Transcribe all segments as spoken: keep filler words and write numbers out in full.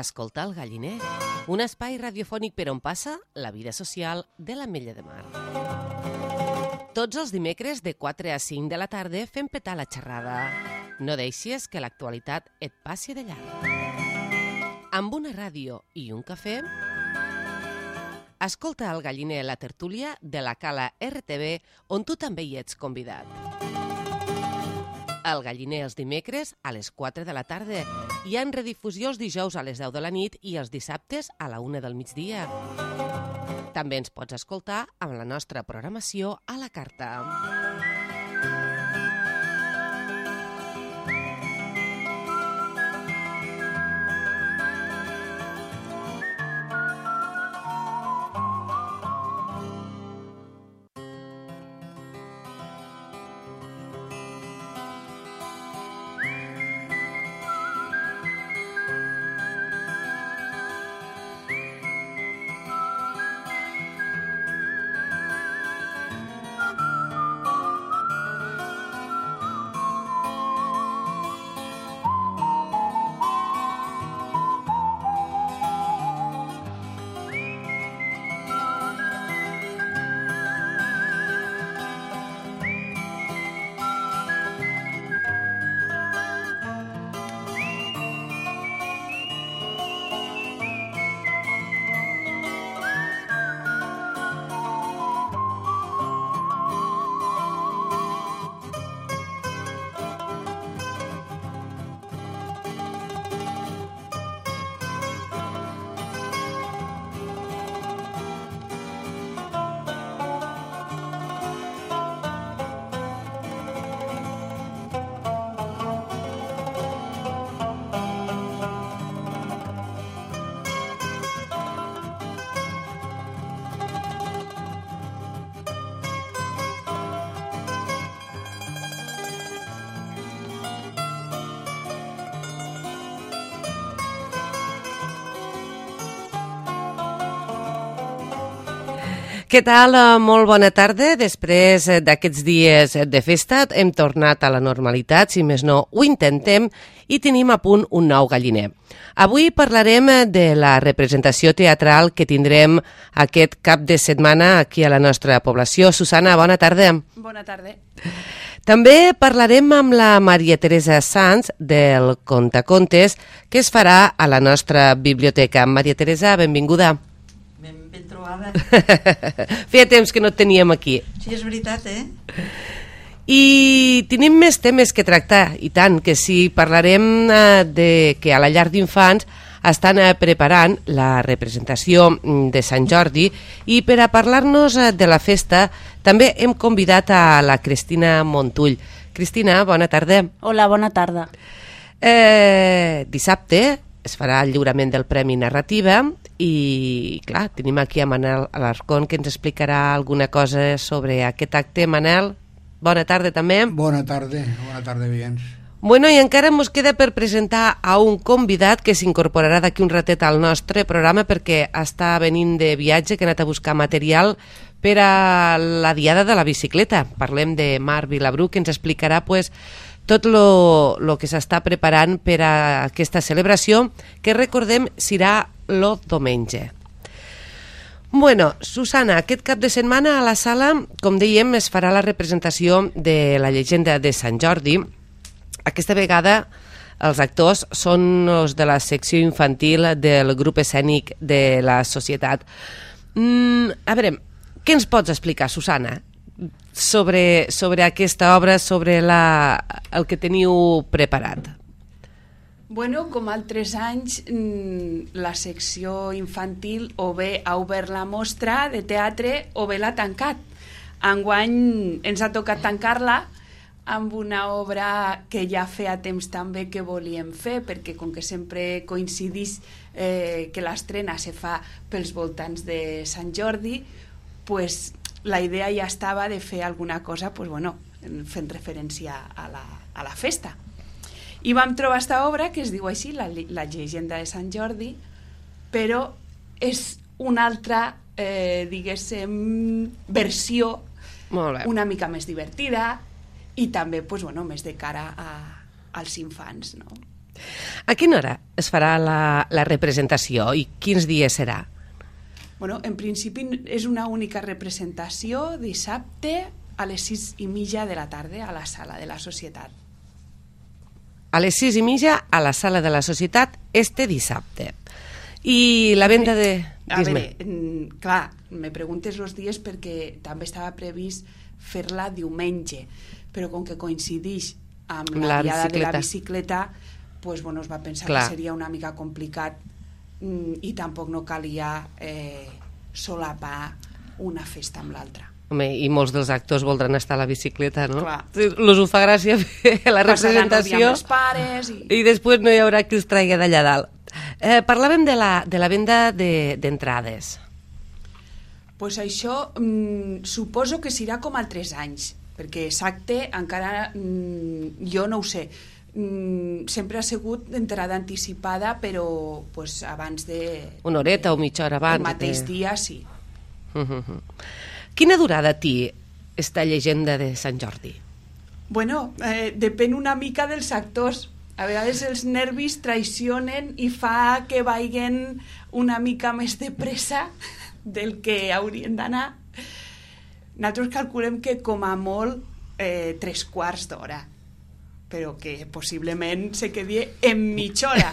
Escolta el Galliner, un espai radiofònic per on passa la vida social de l'Ametlla de Mar. Tots els dimecres de quatre a cinc de la tarda fem petar la xerrada. No deixis que l'actualitat et passi de llarg. Amb una ràdio i un cafè, escolta el Galliner, la tertúlia de la Cala R T V, on tu també hi ets convidat. El Galliner els dimecres a les quatre de la tarda. Hi ha en redifusió els dijous a les deu de la nit i els dissabtes a la una del migdia. També ens pots escoltar amb la nostra programació a la carta. Què tal? Molt bona tarda. Després d'aquests dies de festa hem tornat a la normalitat, si més no ho intentem, i tenim a punt un nou Galliner. Avui parlarem de la representació teatral que tindrem aquest cap de setmana aquí a la nostra població. Susana, bona tarda. Bona tarda. També parlarem amb la Maria Teresa Sanz del Contacontes, que es farà a la nostra biblioteca. Maria Teresa, benvinguda. Ben, ben trobada. Feia temps que no et teníem aquí. Sí, és veritat, eh? I tenim més temes que tractar, i tant, que sí, parlarem eh, de que a la llar d'infants estan eh, preparant la representació de Sant Jordi, i per a parlar-nos eh, de la festa també hem convidat a la Cristina Montull. Cristina, bona tarda. Hola, bona tarda. Eh, dissabte es farà el lliurament del Premi Narrativa i, clar, tenim aquí a Manel Alarcón, que ens explicarà alguna cosa sobre aquest acte. Manel, bona tarda també. Bona tarda, bona tarda, veïns. Bueno, i encara ens queda per presentar a un convidat que s'incorporarà d'aquí un ratet al nostre programa perquè està venint de viatge, que ha anat a buscar material per a la Diada de la Bicicleta. Parlem de Marc Vilabrú, que ens explicarà pues, tot el que s'està preparant per a aquesta celebració, que recordem serà el diumenge. Bueno, Susana, aquest cap de setmana a la sala, com dèiem, es farà la representació de la llegenda de Sant Jordi. Aquesta vegada els actors són els de la secció infantil del grup escènic de la societat. Mm, a veure, què ens pots explicar, Susana, sobre, sobre aquesta obra, sobre la, el que teniu preparat? Bueno, com altres anys, la secció infantil o bé ha obert la mostra de teatre o bé l'ha tancat. Enguany ens ha tocat tancar-la amb una obra que ja feia temps també que volíem fer, perquè com que sempre coincidís eh, que l'estrena se fa pels voltants de Sant Jordi, pues, la idea ja estava de fer alguna cosa pues, bueno, fent referència a la, a la festa. I vam trobar aquesta obra que es diu així, la, la llegenda de Sant Jordi, però és una altra, eh, diguéssim, versió una mica més divertida i també pues, bueno, més de cara a, als infants, no? A quina hora es farà la, la representació i quins dies serà? Bueno, en principi és una única representació dissabte a les sis i mitja de la tarda a la sala de la Societat. A les sis i mitja a la sala de la Societat este dissabte. I la venda de... A veure, mm, clar, me preguntes els dies perquè també estava previst fer-la diumenge, però com que coincideix amb la, La diada de la bicicleta. bicicleta, pues, bueno, es va pensar Clar. que seria una mica complicat mm, i tampoc no calia eh, solapar una festa amb l'altra. Home, i molts dels actors voldran estar a la bicicleta, no? Clar. Els ho fa gràcia fer la Passaran el dia representació amb els pares i... i després no hi haurà qui els traigui d'allà dalt. Eh, parlàvem de la, de la venda d'entrades. De, Pues això mm, suposo que serà com altres anys, perquè exacte encara mm, jo no ho sé. Mm, sempre ha sigut entrada anticipada, però pues, abans de... Una horeta o mitja hora abans. El mateix de... dia, sí. Uh -huh. Quina durada té esta llegenda de Sant Jordi? Bueno, eh, depèn una mica dels actors. A vegades els nervis traicionen i fa que vagin una mica més de pressa del que haurien d'anar. Nosaltres calculem que com a molt eh, tres quarts d'hora, però que possiblement se quedi en mitja hora,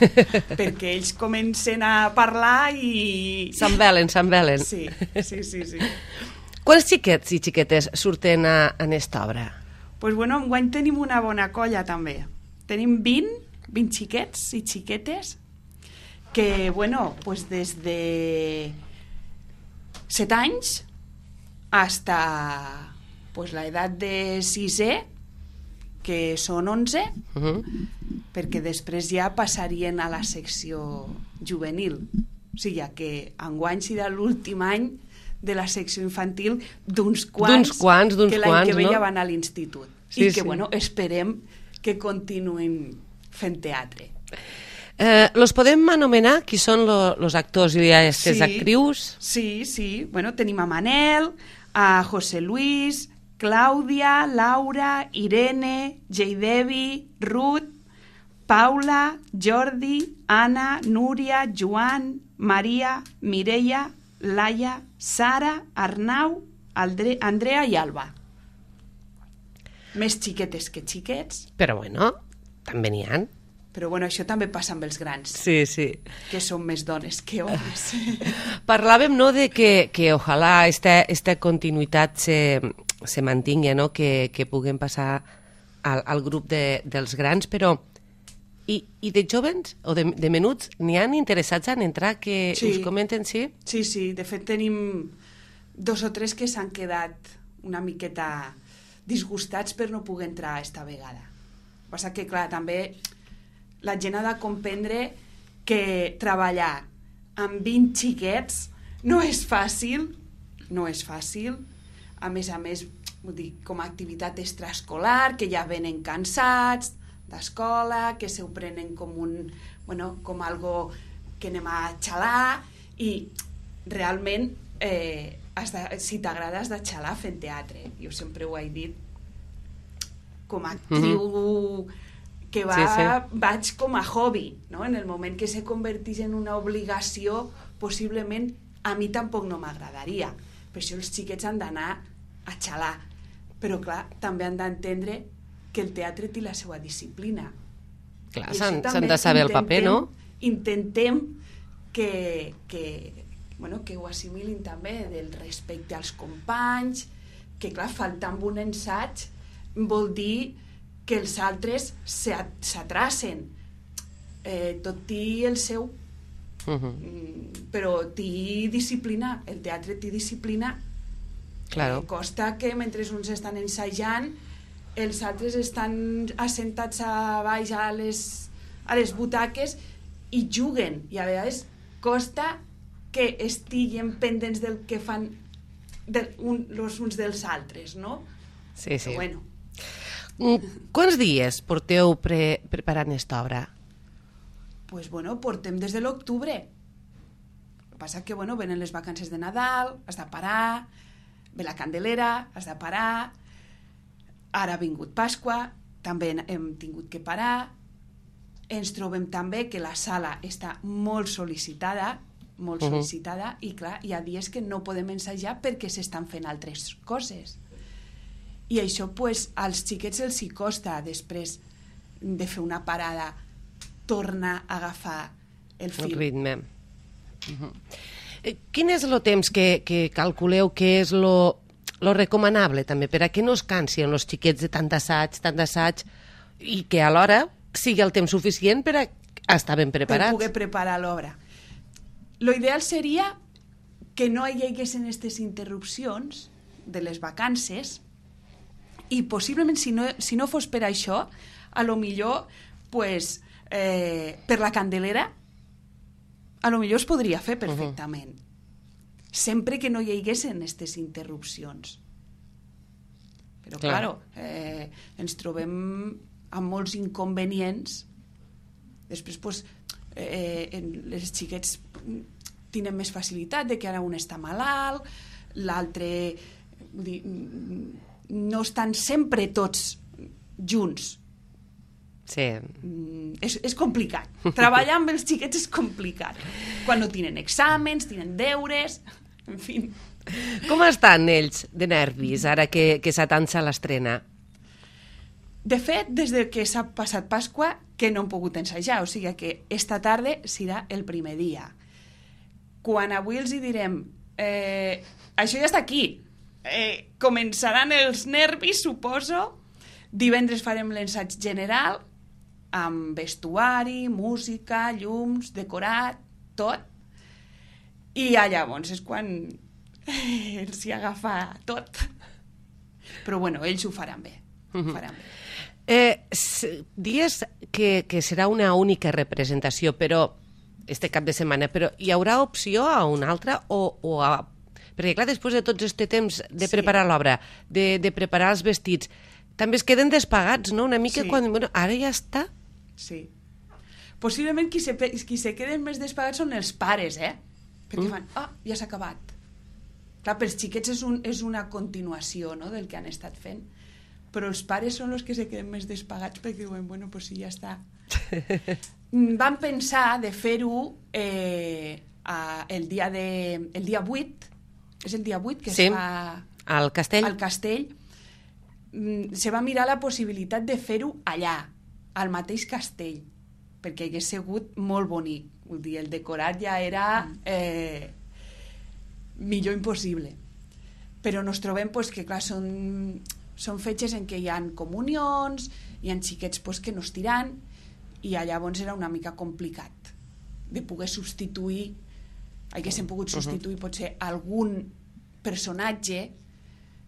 perquè ells comencen a parlar i... S'envelen, s'envelen. Sí, sí, sí, sí. Quants xiquets i xiquetes surten a, en esta obra? Pues bueno, enguany tenim una bona colla també. Tenim vint, vint xiquets i xiquetes que, bueno, pues des de set anys hasta pues la edat de sisè, que són onze, Uh -huh. perquè després ja passarien a la secció juvenil. O sigui que enguany serà l'últim any de la secció infantil d'uns quants, quants, d'uns que l'any quants, que ve no? ja van a l'institut. Sí, I que, sí. bueno, esperem que continuïn fent teatre. Eh, los podem anomenar qui són lo, los actors i aquestes Sí. actrius? Sí, sí. Bueno, tenim a Manel, a José Luis, Clàudia, Laura, Irene, Jeidevi, Ruth, Paula, Jordi, Anna, Núria, Joan, Maria, Mireia, Laia, Sara, Arnau, Aldre, Andrea i Alba. Més xiquetes que xiquets, Però bueno, també n'hi ha. però bueno, això també passa amb els grans, Sí, sí. que són més dones que homes. Parlàvem, no, de que, que ojalà esta, esta continuïtat se, se mantingui, no? que, que puguem passar al, al grup de, dels grans, però i, i de jovens o de, de menuts n'hi han interessats en entrar que Sí. us comenten, sí? Sí, sí, de fet tenim dos o tres que s'han quedat una miqueta disgustats per no poder entrar esta vegada. El que passa que, clar, també la gent ha de comprendre que treballar amb vint xiquets no és fàcil, no és fàcil. A més a més, vull dir, com a activitat extraescolar, que ja venen cansats d'escola, que se ho prenen com un, bueno, com algo que anem a xalar, i realment eh, has de, si t'agrada has de xalar fent teatre. Jo sempre ho he dit, com a actriu mm-hmm. que va, Sí, sí. vaig com a hobby, no? En el moment que se convertís en una obligació, possiblement a mi tampoc no m'agradaria. Per això els xiquets han d'anar a xalar. Però clar, també han d'entendre que el teatre té la seva disciplina. Clar, I s'han això s'han també de saber el paper, no? Intentem que, que, bueno, que ho assimilin també del respecte als companys, que clar, faltar amb un ensaig vol dir que els altres s'atracen. Eh, tot té el seu, Uh -huh. mm, però té disciplina, el teatre té disciplina. Claro. Eh, costa que mentre uns estan ensajant els altres estan assentats a baix a les, a les butaques i juguen, i a vegades costa que estiguin pendents del que fan de, un, los uns dels altres, no? Sí, sí. Però bueno, Mm, Quants dies porteu pre preparant esta obra? pues bueno, portem des de l'octubre. El que passa que, bueno, venen les vacances de Nadal, has de parar, ve la Candelera, has de parar, ara ha vingut Pasqua, també hem tingut que parar, ens trobem també que la sala està molt sol·licitada, molt Uh-huh. sol·licitada, i clar, hi ha dies que no podem ensajar perquè s'estan fent altres coses. I això, pues, als xiquets els hi costa després de fer una parada tornar a agafar el fil. El ritme. Uh-huh. Eh, Quin és el temps que, que calculeu que és lo, lo recomanable també, per a que no es cansin els xiquets de tant assaig, tant assaig, i que alhora sigui el temps suficient per a estar ben preparats? Per poder preparar l'obra. Lo ideal seria que no hi haguessin aquestes interrupcions de les vacances, i possiblement si no, si no fos per això, a lo millor pues, eh, per la Candelera a lo millor es podria fer perfectament. Uh-huh. Sempre que no hi haguessin aquestes interrupcions. Però, Clar. claro, eh, ens trobem amb molts inconvenients. Després, pues, eh, en les xiquets tenen més facilitat de que ara un està malalt, l'altre... vull dir, no estan sempre tots junts. Sí. Mm, és, és complicat. Treballar amb els xiquets és complicat. Quan no tenen exàmens, tenen deures, en fi. Com estan ells de nervis ara que, que s'atança l'estrena? De fet, des de que s'ha passat Pasqua, que no hem pogut ensajar, o sigui que esta tarda serà el primer dia. Quan avui els hi direm eh, això ja està aquí, eh, començaran els nervis, suposo. Divendres farem l'ensaig general, amb vestuari, música, llums, decorat, tot. I ja llavors és quan els hi agafa tot. Però bueno, ells ho faran bé. Ho faran bé. Eh, s- dies que, que serà una única representació, però este cap de setmana, però hi haurà opció a una altra o, o a... Perquè clar, després de tots este temps de Sí. preparar l'obra, de, de preparar els vestits, també es queden despagats, no? Una mica Sí. quan... Bueno, ara ja està. Sí. Possiblement qui se, pe- qui se queden més despagats són els pares, eh? Perquè Mm. fan, ah, ja s'ha acabat. Clar, pels xiquets és, un, és una continuació, no?, del que han estat fent. Però els pares són els que se queden més despagats perquè diuen, bueno, pues sí, ja està. Mm, Vam pensar de fer-ho eh, a- el, dia de, el dia vuit, és el dia vuit que Sí. es fa Al castell? al castell. Mm, se va mirar la possibilitat de fer-ho allà, al mateix castell, perquè hagués sigut molt bonic. Vull dir, el decorat ja era eh, millor impossible. Però nos trobem pues, que, clar, són, són fetges en què hi ha comunions, hi ha xiquets pues, que no es tiran, i llavors era una mica complicat de poder substituir, haguéssim pogut substituir potser algun personatge,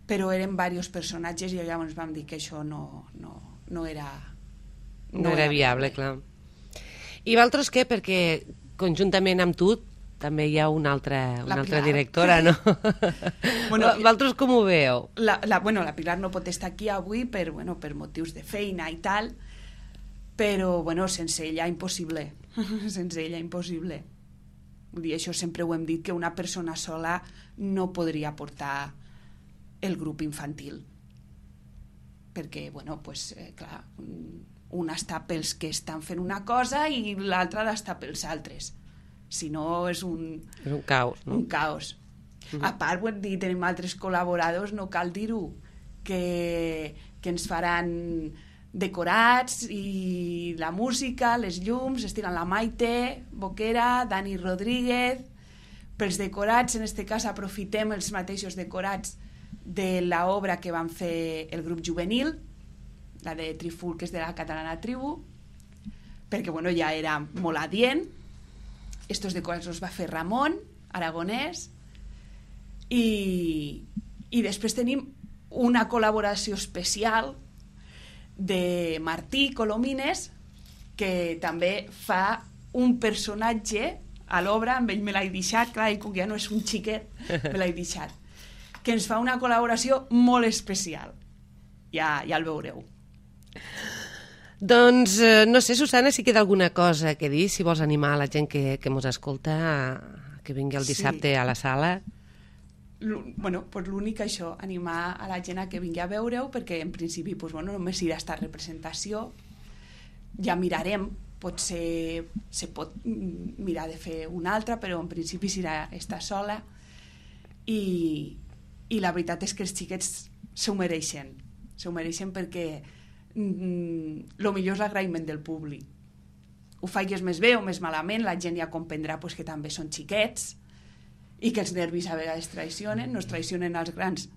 però eren diversos personatges i llavors vam dir que això no, no, no era... No era viable, clar. I vosaltres què? Perquè conjuntament amb tu també hi ha una altra, una La altra Pilar. directora, no? Bueno, Vosaltres com ho veieu? La, la, bueno, la Pilar no pot estar aquí avui per, bueno, per motius de feina i tal, però bueno, sense ella impossible. Sense ella impossible. Vull dir, això sempre ho hem dit, que una persona sola no podria portar el grup infantil. Perquè, bueno, pues, eh, clar, una està pels que estan fent una cosa i l'altra està pels altres. Si no, és un, És un caos, no? un caos. A part, vull dir, tenim altres col·laboradors, no cal dir-ho, que, que ens faran decorats i la música, les llums, estiran la Maite Boquera, Dani Rodríguez. Pels decorats, en este cas, aprofitem els mateixos decorats de l'obra que van fer el grup juvenil, la de Triful, que és de la Catalana Tribu, perquè bueno, ja era molt adient. Estos decorats els va fer Ramon Aragonès, i, i després tenim una col·laboració especial de Martí Colomines, que també fa un personatge a l'obra, amb ell me l'he deixat, clar, i com que ja no és un xiquet, me l'he deixat, que ens fa una col·laboració molt especial. Ja, ja el veureu. Doncs, eh, no sé, Susana, si queda alguna cosa que dir, si vols animar a la gent que, que mos escolta a, que vingui el dissabte Sí. a la sala. L- bueno, pues l'únic això, animar a la gent a que vingui a veure-ho, perquè en principi pues, bueno, només hi ha esta representació. Ja mirarem potser se pot mirar de fer una altra, però en principi serà estar sola, i, i la veritat és que els xiquets s'ho mereixen, s'ho mereixen perquè mm, lo millor és l'agraïment del públic. Ho faigues més bé o més malament, la gent ja comprendrà pues, que també són xiquets i que els nervis a vegades traicionen, no es traicionen als grans,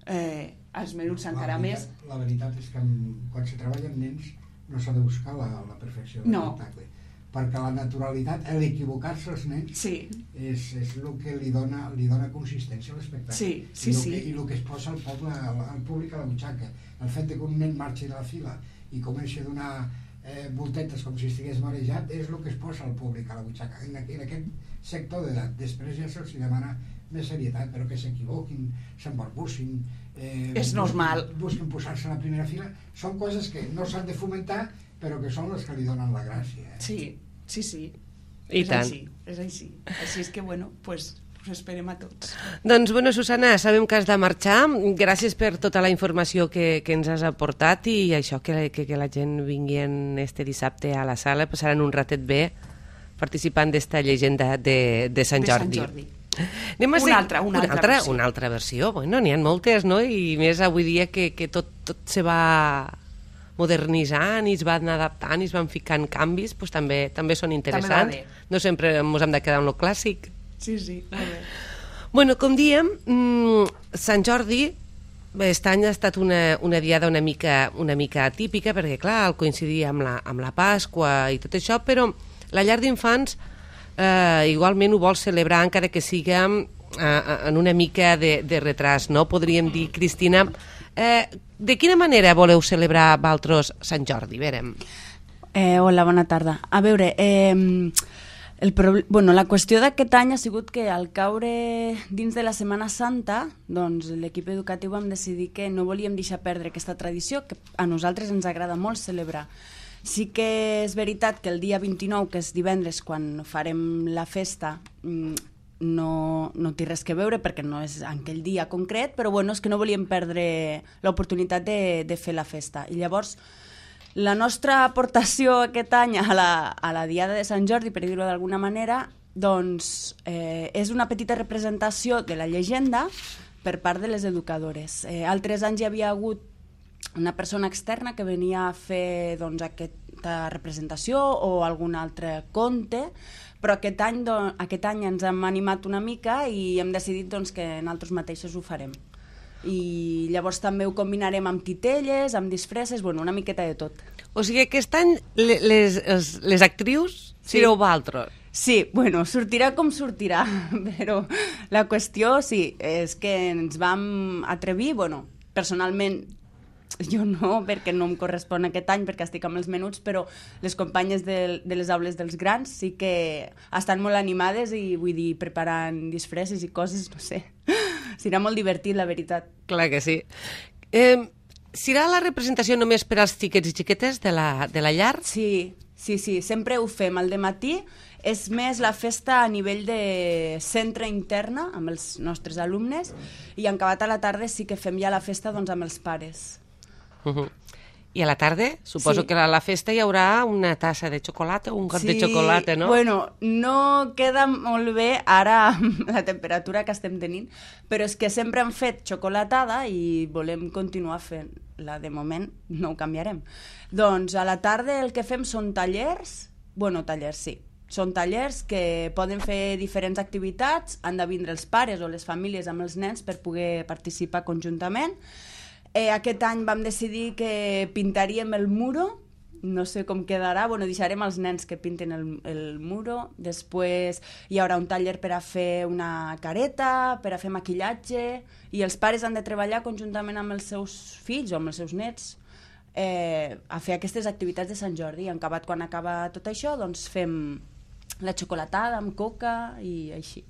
eh, als menuts encara la més. La veritat és que amb, quan se treballa amb nens no s'ha de buscar la, la perfecció del no. espectacle, perquè la naturalitat, l'equivocar-se als nens sí. és, és el que li dona, li dona consistència a l'espectacle. Sí, sí, I, el sí. que, I el que es posa al, poble, al, al públic a la butxaca. El fet que un nen marxi de la fila i comenci a donar eh, voltetes com si estigués marejat és el que es posa al públic a la butxaca. En, en aquest sector d'edat. Després ja se'ls demana més serietat, però que s'equivoquin, s'embarbussin, eh, és normal. Busquin, busquin posar-se a la primera fila. Són coses que no s'han de fomentar, però que són les que li donen la gràcia. Eh? Sí, sí, sí. I és tant. Així, és així. Així és que, bueno, pues, us esperem a tots. Doncs, bueno, Susana, sabem que has de marxar. Gràcies per tota la informació que, que ens has aportat i això, que, que, que la gent vingui en este dissabte a la sala, passaran un ratet bé participant d'esta llegenda de, de Sant Jordi. De Sant Jordi. Anem a una, ser... altra, una, una, altra, altra versió. una altra versió. Bueno, n'hi ha moltes, no? I més avui dia que, que tot, tot se va modernitzant i es van adaptant i es van ficant canvis, doncs també, també són interessants. També no sempre ens hem de quedar en lo clàssic. Sí, sí, molt bé. Bueno, com diem, mmm, Sant Jordi aquest any ha estat una, una diada una mica, una mica atípica perquè, clar, al coincidir amb la, amb la Pasqua i tot això, però la llar d'infants eh, igualment ho vol celebrar encara que siga eh, en una mica de, de retras, no? Podríem dir, Cristina, eh, de quina manera voleu celebrar vosaltres Sant Jordi? Verem. Eh, hola, bona tarda. A veure, eh, el pro... bueno, la qüestió d'aquest any ha sigut que al caure dins de la Setmana Santa, doncs l'equip educatiu vam decidir que no volíem deixar perdre aquesta tradició que a nosaltres ens agrada molt celebrar. Sí que és veritat que el dia vint-i-nou, que és divendres, quan farem la festa, no, no té res que veure perquè no és en aquell dia concret, però bueno, és que no volíem perdre l'oportunitat de, de fer la festa. I llavors, la nostra aportació aquest any a la, a la Diada de Sant Jordi, per dir-ho d'alguna manera, doncs eh, és una petita representació de la llegenda per part de les educadores. Eh, altres anys hi havia hagut una persona externa que venia a fer doncs, aquesta representació o algun altre conte, però aquest any, doncs, aquest any ens hem animat una mica i hem decidit doncs, que nosaltres mateixos ho farem. I llavors també ho combinarem amb titelles, amb disfresses, bueno, una miqueta de tot. O sigui, aquest any les, les, les actrius Sí. sereu vosaltres. Sí, bueno, sortirà com sortirà, però la qüestió, sí, és que ens vam atrevir, bueno, personalment jo no, perquè no em correspon aquest any, perquè estic amb els menuts, però les companyes de, de les aules dels grans sí que estan molt animades i, vull dir, preparant disfresses i coses, no sé. Serà molt divertit, la veritat. Clar que sí. Eh, serà la representació només per als xiquets i xiquetes de la, de la llar? Sí, sí, sí, sempre ho fem al dematí. És més la festa a nivell de centre interna amb els nostres alumnes i en acabat a la tarda sí que fem ja la festa doncs, amb els pares. Uh -huh. I a la tarda, suposo Sí. que a la festa hi haurà una tassa de xocolata o un got Sí, de xocolata, no? Bueno, no queda molt bé ara amb la temperatura que estem tenint, però és que sempre hem fet xocolatada i volem continuar fent-la. De moment no ho canviarem. Doncs a la tarda el que fem són tallers, bueno, tallers sí, són tallers que poden fer diferents activitats, han de vindre els pares o les famílies amb els nens per poder participar conjuntament. Eh, aquest any vam decidir que pintaríem el muro, no sé com quedarà, bueno, deixarem els nens que pinten el, el muro, després hi haurà un taller per a fer una careta, per a fer maquillatge, i els pares han de treballar conjuntament amb els seus fills o amb els seus nets eh, a fer aquestes activitats de Sant Jordi. En acabat, quan acaba tot això, doncs fem la xocolatada amb coca i així.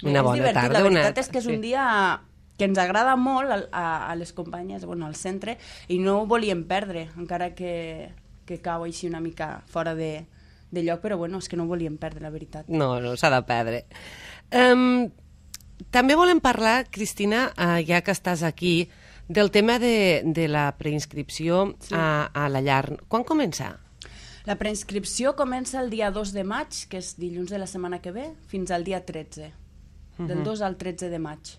Una bona és divertit, tarda, la veritat una- és que és sí. un dia que ens agrada molt a, a, a les companyes, bueno, al centre, i no ho volíem perdre, encara que, que cau així una mica fora de, de lloc, però bueno, és que no ho volíem perdre, la veritat. No, no s'ha de perdre. Um, també volem parlar, Cristina, uh, ja que estàs aquí, del tema de, de la preinscripció Sí. a, a la llar. Quan comença? La preinscripció comença el dia dos de maig, que és dilluns de la setmana que ve, fins al dia tretze. Del dos al tretze de maig.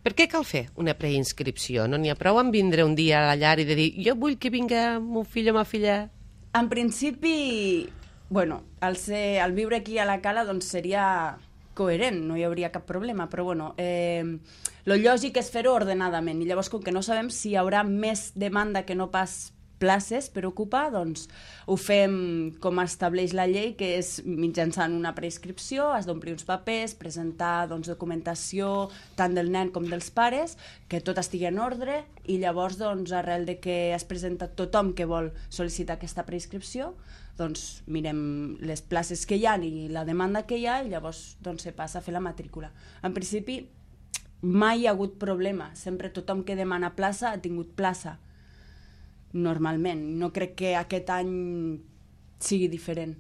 Per què cal fer una preinscripció? No n'hi ha prou en vindre un dia a la llar i de dir jo vull que vinga mon fill o ma filla? En principi, bueno, al, ser, al viure aquí a la Cala doncs seria coherent, no hi hauria cap problema, però bueno, eh, lo lògic és fer-ho ordenadament, i llavors com que no sabem si hi haurà més demanda que no pas places per ocupar, doncs ho fem com estableix la llei, que és mitjançant una preinscripció, has d'omplir uns papers, presentar doncs, documentació tant del nen com dels pares, que tot estigui en ordre, i llavors doncs, arrel de que has presentat tothom que vol sol·licitar aquesta preinscripció, doncs mirem les places que hi ha i la demanda que hi ha, i llavors doncs, se passa a fer la matrícula. En principi mai hi ha hagut problema, sempre tothom que demana plaça ha tingut plaça. Normalment. No crec que aquest any sigui diferent.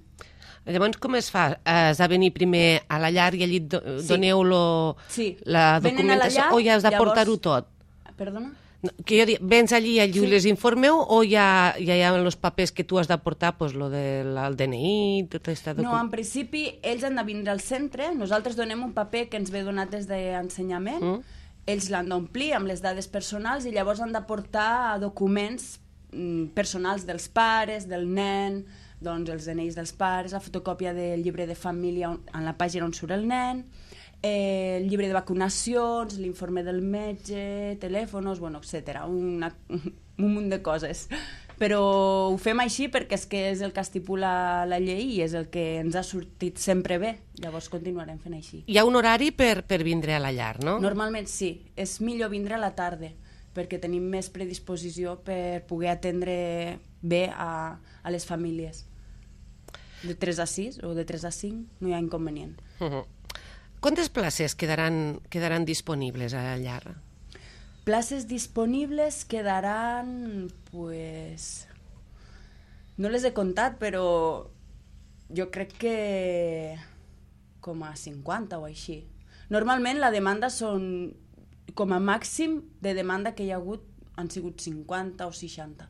Llavors, com es fa? Has de venir primer a la llar i allí do Sí. doneu lo, Sí. la Venen a la documentació llar, o ja has de llavors- portar-ho tot? Perdona? No, que jo dic, vens allí, allí Sí. les informeu o ja, ja hi ha els papers que tu has de portar, pues, lo del D N I, tota aquesta No, en documentació? principi ells han de vindre al centre, nosaltres donem un paper que ens ve donat des d'ensenyament, Mm. ells l'han d'omplir amb les dades personals i llavors han de portar documents mm, personals dels pares, del nen, doncs els D N Is dels pares, la fotocòpia del llibre de família on, en la pàgina on surt el nen, eh, el llibre de vacunacions, l'informe del metge, telèfons, bueno, etcètera, una, un munt de coses. Però ho fem així perquè és que és el que estipula la llei i és el que ens ha sortit sempre bé, llavors continuarem fent així. Hi ha un horari per, per vindre a la llar, no? Normalment sí, és millor vindre a la tarda perquè tenim més predisposició per poder atendre bé a, a les famílies. De tres a sis o de tres a cinc no hi ha inconvenient. Uh -huh. Quantes places quedaran, quedaran disponibles a la llar? Places disponibles quedaran, pues... No les he comptat, però jo crec que com a cinquanta o així. Normalment la demanda són, com a màxim de demanda que hi ha hagut, han sigut cinquanta o seixanta.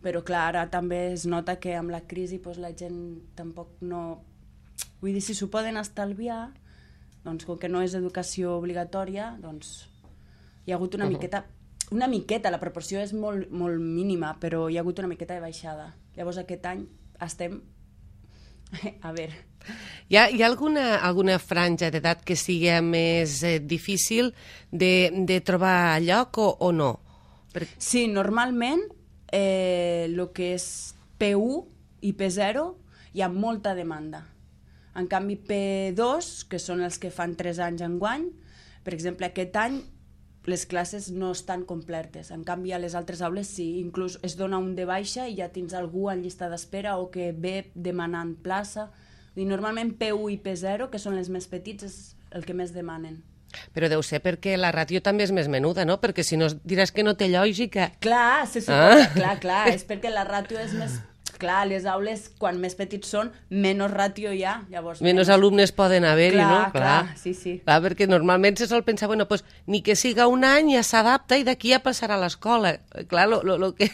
Però clar, ara també es nota que amb la crisi doncs, la gent tampoc no... Vull dir, si s'ho poden estalviar, doncs com que no és educació obligatòria, doncs hi ha hagut una uh -huh. miqueta... Una miqueta, la proporció és molt, molt mínima, però hi ha hagut una miqueta de baixada. Llavors aquest any estem... A veure... Hi ha, hi ha alguna, alguna franja d'edat que sigui més eh, difícil de, de trobar lloc o, o no? Per... Sí, normalment eh, el que és P u i P zero hi ha molta demanda. En canvi, P dos, que són els que fan tres anys enguany, per exemple, aquest any les classes no estan completes. En canvi, a les altres aules sí, inclús es dona un de baixa i ja tens algú en llista d'espera o que ve demanant plaça. I normalment P u i P zero, que són les més petits, és el que més demanen. Però deu ser perquè la ràtio també és més menuda, no? Perquè si no diràs que no té lògica. Clar, se suposa, Ah. clar, clar, és perquè la ràtio és més... Clar, les aules, quan més petits són, menys ràtio hi ha. Llavors, Menys alumnes poden haver-hi, Clar, no? clar, sí, sí. Clar, perquè normalment se sol pensar, bueno, pues, ni que siga un any ja s'adapta i d'aquí ja passarà a l'escola. Clar, lo, lo, lo que...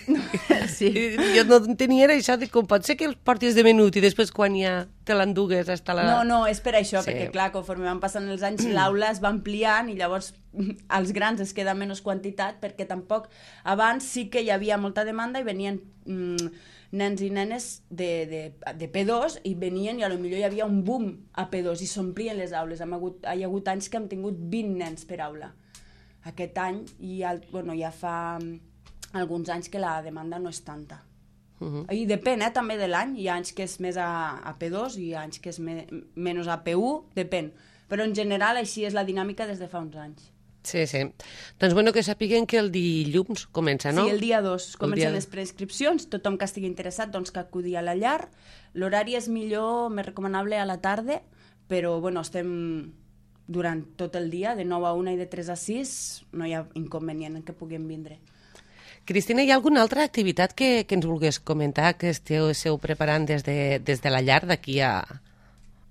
Sí. Jo no tenia això de com pot ser que els portis de menut i després quan ja te l'endugues hasta la... No, no, és per això, Sí. perquè clar, conforme van passant els anys, l'aula es va ampliant i llavors als grans es queda menys quantitat, perquè tampoc abans sí que hi havia molta demanda i venien mm, nens i nenes de, de, de P dos i venien i a lo millor hi havia un boom a P dos i s'omplien les aules. Hem hagut, hi ha hagut anys que hem tingut vint nens per aula. Aquest any, i el, bueno, ja fa mm, alguns anys que la demanda no és tanta. Uh -huh. I depèn, eh, també de l'any. Hi ha anys que és més a, a P dos i hi ha anys que és me, menys a P u, depèn. Però en general així és la dinàmica des de fa uns anys. Sí, sí. Doncs bueno, que sapiguen que el dilluns comença, no? Sí, el dia dos comencen dia... les preinscripcions, tothom que estigui interessat doncs, que acudi a la llar. L'horari és millor, més recomanable a la tarda, però bueno, estem durant tot el dia, de nou a una i de tres a sis, no hi ha inconvenient en que puguem vindre. Cristina, hi ha alguna altra activitat que, que ens vulgués comentar que esteu, esteu preparant des de, des de la llar d'aquí a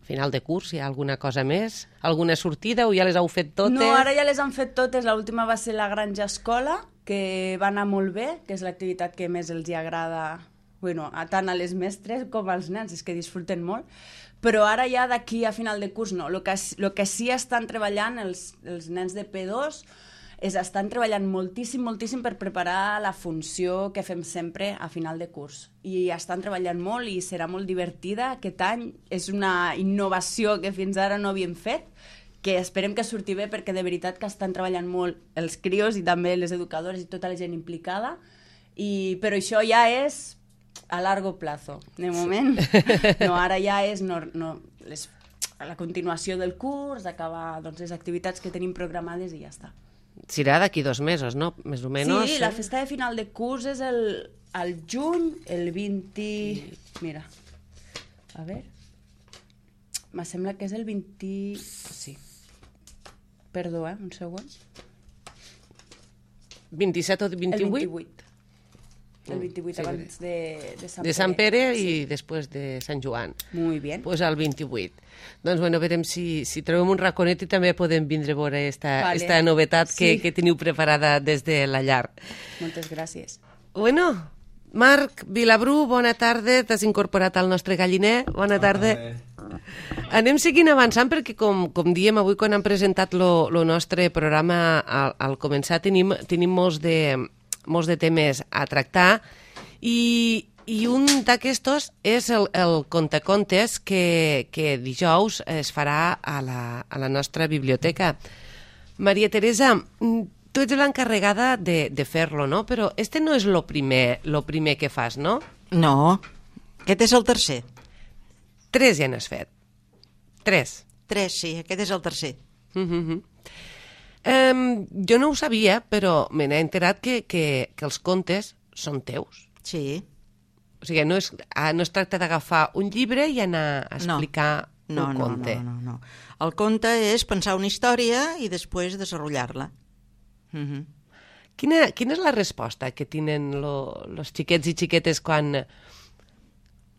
final de curs? Hi ha alguna cosa més? Alguna sortida o ja les heu fet totes? No, ara ja les han fet totes. L'última va ser la Granja Escola, que va anar molt bé, que és l'activitat que més els hi agrada bueno, a tant a les mestres com als nens, és que disfruten molt, però ara ja d'aquí a final de curs no. El que, lo que sí estan treballant els, els nens de P dos és estan treballant moltíssim, moltíssim per preparar la funció que fem sempre a final de curs. I estan treballant molt i serà molt divertida. Aquest any és una innovació que fins ara no havíem fet, que esperem que surti bé perquè de veritat que estan treballant molt els crios i també les educadores i tota la gent implicada, i, però això ja és a largo plazo. De moment, no, ara ja és no, no, les, la continuació del curs, acabar doncs, les activitats que tenim programades i ja està. Serà d'aquí dos mesos, no? Més o menys. Sí, la festa de final de curs és el, el juny, el vint... Mira, a veure... Me sembla que és el vint... Sí. Perdó, eh? Un segon. vint-i-set o vint-i-vuit? El vint-i-vuit. El vint-i-vuit, sí, abans de, de Sant Pere. De Sant Pere i sí. després de Sant Joan. Muy bien. Pues el vint-i-vuit. Doncs bueno, veurem si, si trobem un raconet i també podem vindre a veure esta, vale. esta novetat que, sí. que teniu preparada des de la llar. Moltes gràcies. Bueno, Marc Vilabrú, bona tarda. T'has incorporat al nostre galliner. Bona tarda. Hola. Anem seguint avançant perquè, com, com diem avui quan hem presentat el nostre programa al, al començar, tenim, tenim molts de... molts de temes a tractar i, i un d'aquestos és el, el contacontes que, que dijous es farà a la, a la nostra biblioteca. Maria Teresa, tu ets l'encarregada de, de fer-lo, no? Però este no és lo primer, lo primer que fas, no? No, aquest és el tercer. Tres ja n'has fet. Tres. Tres, sí, aquest és el tercer. Mm-hmm. Um, jo no ho sabia, però me n'he enterat que, que, que els contes són teus. Sí. O sigui, no es, no es tracta d'agafar un llibre i anar a explicar no. No, un no, conte. No, no, no. El conte és pensar una història i després desenvolupar-la. Mm-hmm. Quina, quina és la resposta que tenen els xiquets i xiquetes quan,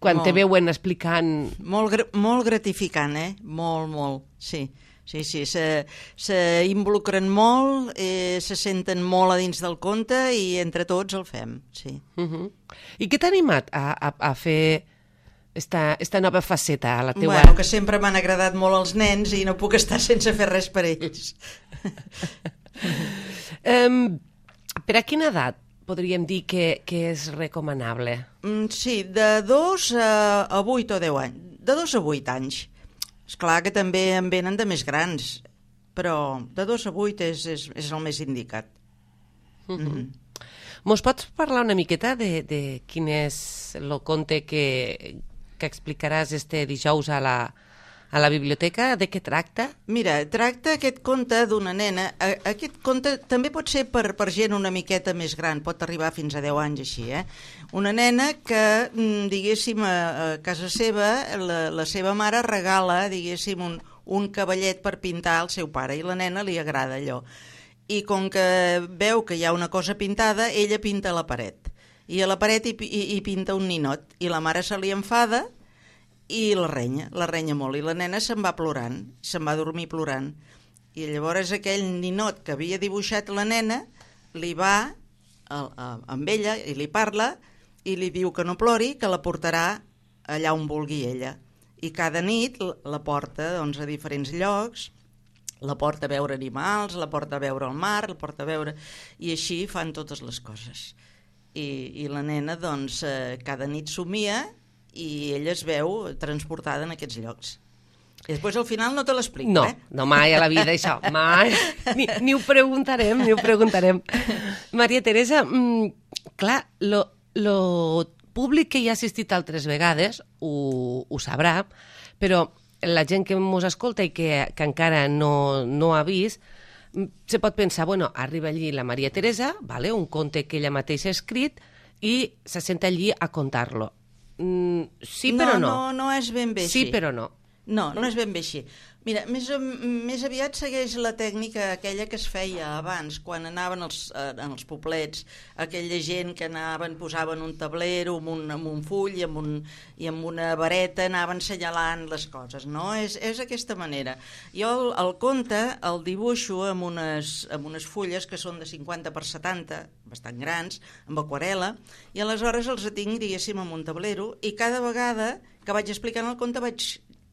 quan te veuen explicant? Molt, molt gratificant, eh? Molt, molt, sí. Sí, sí, se, se involucren molt, eh, se senten molt a dins del conte i entre tots el fem, sí. Uh-huh. I què t'ha animat a, a, a fer esta, esta nova faceta a la teua... Bueno, que sempre m'han agradat molt els nens i no puc estar sense fer res per ells. um, per a quina edat podríem dir que, que és recomanable? Mm, sí, de dos a, a vuit o deu anys. De dos a vuit anys. Esclar que també en venen de més grans, però de dos a vuit és, és, és el més indicat. Uh-huh. Mm-hmm. Mos pots parlar una miqueta de, de quin és el conte que, que explicaràs este dijous a la, a la biblioteca? De què tracta? Mira, tracta aquest conte d'una nena. Aquest conte també pot ser per, per gent una miqueta més gran, pot arribar fins a deu anys així, eh? Una nena que, diguéssim, a, a casa seva, la, la seva mare regala, diguéssim, un, un cavallet per pintar al seu pare i la nena li agrada allò. I com que veu que hi ha una cosa pintada, ella pinta a la paret. I a la paret hi, hi, hi pinta un ninot. I la mare se li enfada i la renya, la renya molt. I la nena se'n va plorant, se'n va dormir plorant. I llavors aquell ninot que havia dibuixat la nena li va a, a, amb ella i li parla i li diu que no plori, que la portarà allà on vulgui ella. I cada nit la porta doncs, a diferents llocs, la porta a veure animals, la porta a veure el mar, la porta a veure... I així fan totes les coses. I, i la nena, doncs, eh, cada nit somia i ella es veu transportada en aquests llocs. I després al final no te l'explico, no, eh? No, mai a la vida això, mai. Ni, ni ho preguntarem, ni ho preguntarem. Maria Teresa, mmm, clar, lo, lo públic que hi ha assistit altres vegades ho, ho sabrà, però la gent que ens escolta i que, que encara no, no ha vist, se pot pensar, bueno, arriba allí la Maria Teresa, vale, un conte que ella mateixa ha escrit, i se senta allí a contar-lo. Mm, sí, però no. No, no, no és ben bé així. Sí, però no. No, no és ben bé així. Mira, més, més aviat segueix la tècnica aquella que es feia abans, quan anaven els, en els poblets, aquella gent que anaven, posaven un tablero amb un, amb un full i amb, un, i amb una vareta anaven assenyalant les coses, no? És, és aquesta manera. Jo el, el conte el dibuixo amb unes, amb unes fulles que són de cinquanta per setanta, bastant grans, amb aquarel·la, i aleshores els tinc, diguéssim, amb un tablero, i cada vegada que vaig explicant el conte vaig,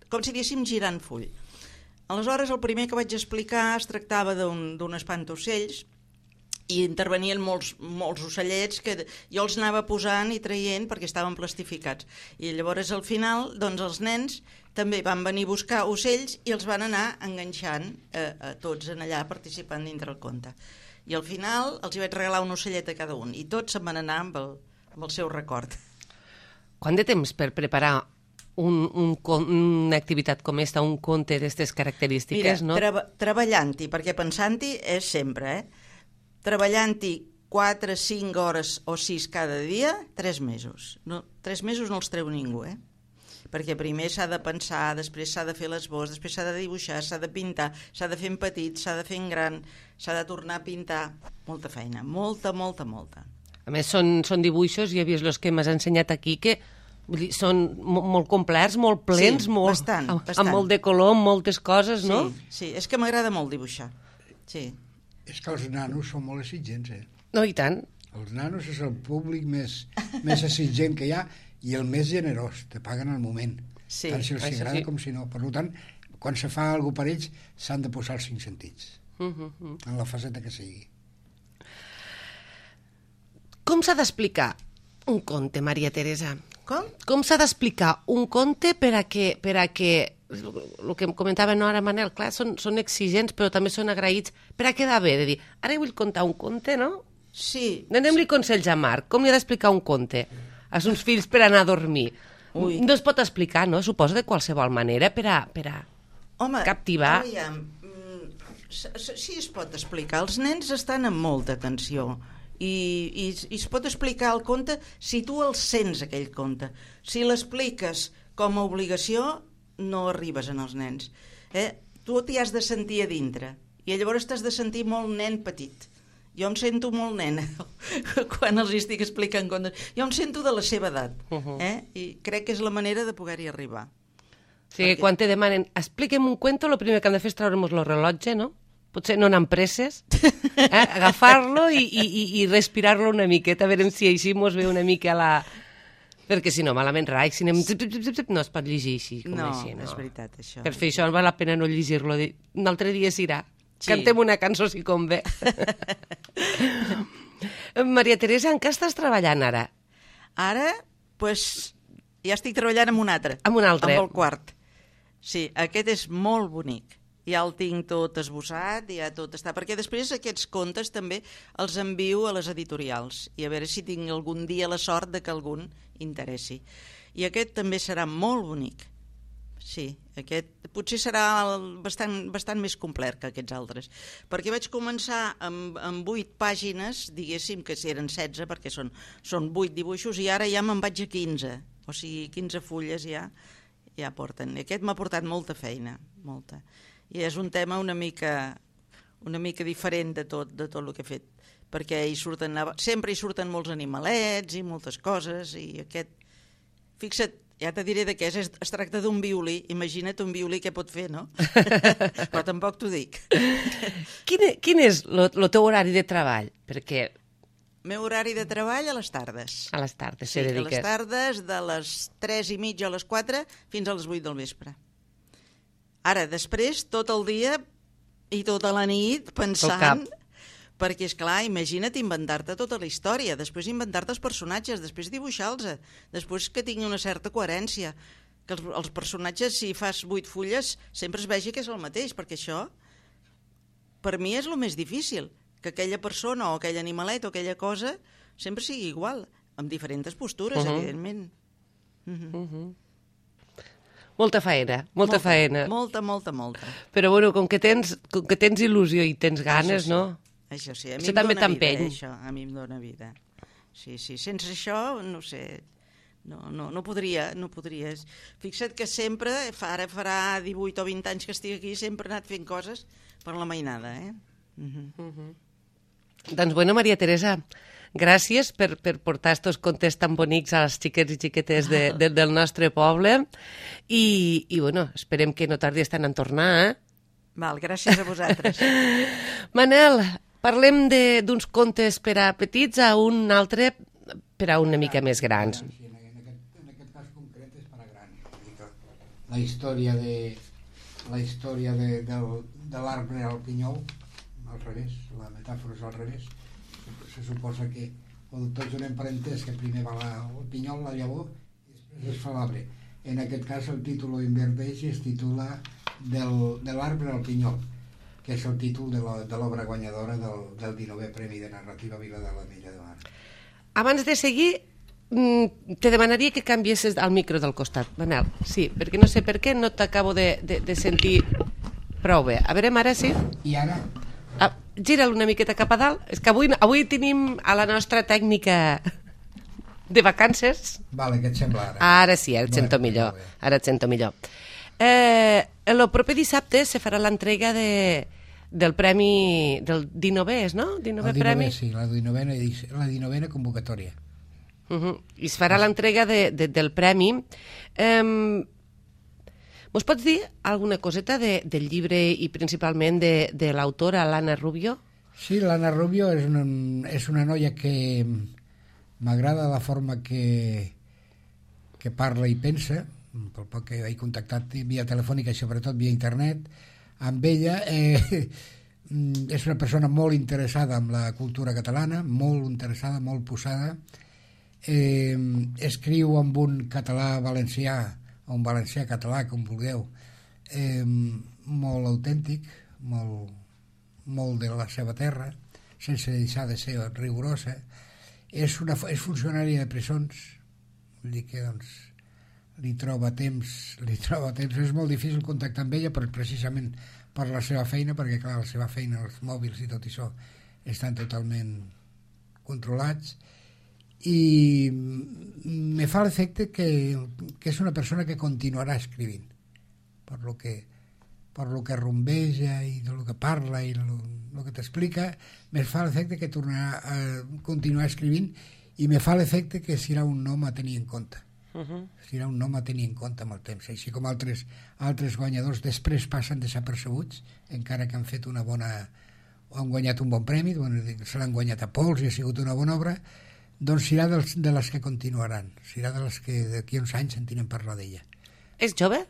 com si diguéssim, girant full. Aleshores, el primer que vaig explicar es tractava d'un espantaocells i intervenien molts, molts ocellets que jo els anava posant i traient perquè estaven plastificats. I llavors, al final, doncs, els nens també van venir a buscar ocells i els van anar enganxant a, a tots en allà participant dintre el conte. I al final els hi vaig regalar un ocellet a cada un i tots se'n van anar amb el, amb el seu record. Quant de temps per preparar Un, un, una activitat com esta, un conte d'aquestes característiques, Mira, no? Treba, treballant-hi, perquè pensant-hi és sempre, eh? Treballant-hi quatre, cinc hores o sis cada dia, tres mesos. No, tres mesos no els treu ningú, eh? Perquè primer s'ha de pensar, després s'ha de fer l'esbós, després s'ha de dibuixar, s'ha de pintar, s'ha de fer en petit, s'ha de fer en gran, s'ha de tornar a pintar. Molta feina, molta, molta, molta. A més, són, són dibuixos, ja he vist els que m'has ensenyat aquí, que vull dir, són molt complets, molt plens, sí, molt, bastant, amb, bastant. amb molt de color, amb moltes coses, no? Sí, sí, és que m'agrada molt dibuixar. Sí. És que els nanos són molt exigents, eh? No, i tant. Els nanos és el públic més, més exigent que hi ha i el més generós, te paguen al moment. Sí, tant si els això agrada sí. com si no. Per tant, quan se fa alguna cosa per ells, s'han de posar els cinc sentits, Uh -huh. en la faceta que sigui. Com s'ha d'explicar un conte, Maria Teresa? Com? Com s'ha d'explicar un conte per a que, per a que el que em comentava no ara Manel, clar, són, són exigents però també són agraïts, per a quedar bé, de dir, ara vull contar un conte, no? Sí. Donem-li consells a Marc, com li ha d'explicar un conte als seus fills per anar a dormir? Ui. No es pot explicar, no? Suposo de qualsevol manera per a, per a Home, captivar. Aviam, sí es pot explicar. Els nens estan amb molta atenció. I, i, i es pot explicar el conte si tu el sents, aquell conte. Si l'expliques com a obligació, no arribes en els nens. Eh? Tu t'hi has de sentir a dintre i llavors t'has de sentir molt nen petit. Jo em sento molt nena quan els estic explicant contes. Jo em sento de la seva edat, eh? I crec que és la manera de poder-hi arribar. O sigui, Perquè... quan te demanen expliquem un cuento, el primer que hem de fer és treure'ns el rellotge, no? Potser no anar amb presses, eh? Agafar-lo i, i, i respirar-lo una miqueta, a veure si així mos ve una mica la... Perquè si no, malament rai, si anem... no es pot llegir així, com no, així, no? és veritat, això. Per fer això val la pena no llegir-lo. Un altre dia s'irà. Sí. Cantem una cançó si convé. Maria Teresa, en què estàs treballant ara? Ara, doncs, ja estic treballant amb un altre. Amb un altre. Amb el quart. Sí, aquest és molt bonic. Ja el tinc tot esbossat, ja tot està... Perquè després aquests contes també els envio a les editorials i a veure si tinc algun dia la sort de que algun interessi. I aquest també serà molt bonic. Sí, aquest potser serà bastant, bastant més complet que aquests altres. Perquè vaig començar amb, amb vuit pàgines, diguéssim que si eren setze, perquè són, són vuit dibuixos, i ara ja me'n vaig a quinze. O sigui, quinze fulles ja, ja porten. I aquest m'ha portat molta feina, molta. I és un tema una mica, una mica diferent de tot, de tot el que he fet, perquè hi surten, sempre hi surten molts animalets i moltes coses, i aquest, fixa't, ja te diré de què és, es, es tracta d'un violí, imagina't un violí què pot fer, no? Però tampoc t'ho dic. Quin, quin és el teu horari de treball? Perquè... Meu horari de treball a les tardes. A les tardes, sí, se a les dediques. tardes, de les tres i mitja a les quatre fins a les vuit del vespre. Ara, després, tot el dia i tota la nit pensant... Perquè, és clar, imagina't inventar-te tota la història, després inventar-te els personatges, després dibuixar-los, després que tingui una certa coherència, que els, els personatges, si fas vuit fulles, sempre es vegi que és el mateix, perquè això, per mi és el més difícil, que aquella persona o aquell animalet o aquella cosa sempre sigui igual, amb diferents postures, uh-huh. evidentment. Uh-huh. Uh-huh. Molta faena, molta, molta faena. Molta, molta, molta. Però, bueno, com que tens, com que tens il·lusió i tens ganes, sí. no? Això sí, a mi això em també dóna vida, t'empeny. això, a mi em dóna vida. Sí, sí, sense això, no sé, No, no, no podria, no podria. Fixa't que sempre, fa, ara farà divuit o vint anys que estic aquí, sempre he anat fent coses per la mainada, eh? Uh-huh. Uh-huh. Doncs bueno, Maria Teresa, gràcies per, per portar estos contes tan bonics als xiquets i xiquetes de, de, del nostre poble i, i bueno, esperem que no tardis tant en tornar, eh? Val, gràcies a vosaltres. Manel, parlem d'uns contes per a petits a un altre per a una mica més grans. La història de la història de, del, de l'arbre al pinyol, al revés, la metàfora és al revés. Se suposa que quan tots donem per entès que primer va la, el pinyol, la llavor, i després es fa l'arbre. En aquest cas el títol ho inverteix i es titula del, de l'arbre al pinyol, que és el títol de l'obra guanyadora del, del dinovè Premi de Narrativa Vila de l'Ametlla de Mar. Abans de seguir, te demanaria que canviessis al micro del costat, Manel. Sí, perquè no sé per què no t'acabo de, de, de sentir prou bé. A veure, ara sí? I ara? Ah, gira'l una miqueta cap a dalt. És que avui, avui tenim a la nostra tècnica de vacances. Vale, què et sembla ara? Ara sí, ara et sento bueno, millor. Ara et sento millor. Eh, el proper dissabte se farà l'entrega de, del premi del dinovè, no? dinovè el dinovè, premi? Sí, la dinovena, la dinovena convocatòria. Uh-huh. I es farà l'entrega de, de, del premi. Um, Mos pots dir alguna coseta de, del llibre i principalment de, de l'autora, l'Anna Rubio? Sí, l'Anna Rubio és una, és una noia que m'agrada la forma que, que parla i pensa, pel poc que he contactat via telefònica i sobretot via internet amb ella. Eh, és una persona molt interessada en la cultura catalana, molt interessada, molt posada. Eh, escriu amb un català valencià o un valencià català, com vulgueu, eh, molt autèntic, molt, molt de la seva terra, sense deixar de ser rigorosa. És, una, és funcionària de presons, vull dir que doncs, li troba temps, li troba temps. És molt difícil contactar amb ella, però precisament per la seva feina, perquè clar, la seva feina, els mòbils i tot això estan totalment controlats. I me fa l'efecte que, que és una persona que continuarà escrivint per lo que, per lo que rumbeja i de lo que parla i lo, lo que t'explica. Me fa l'efecte que tornarà a continuar escrivint i me fa l'efecte que serà un nom a tenir en compte. Uh-huh. Serà un nom a tenir en compte amb el temps, així com altres, altres guanyadors després passen desapercebuts, encara que han fet una bona o han guanyat un bon premi, bueno, se l'han guanyat a pols i ha sigut una bona obra. Doncs serà dels, de les que continuaran, serà de les que d'aquí uns anys sentiran parlar d'ella. És jove?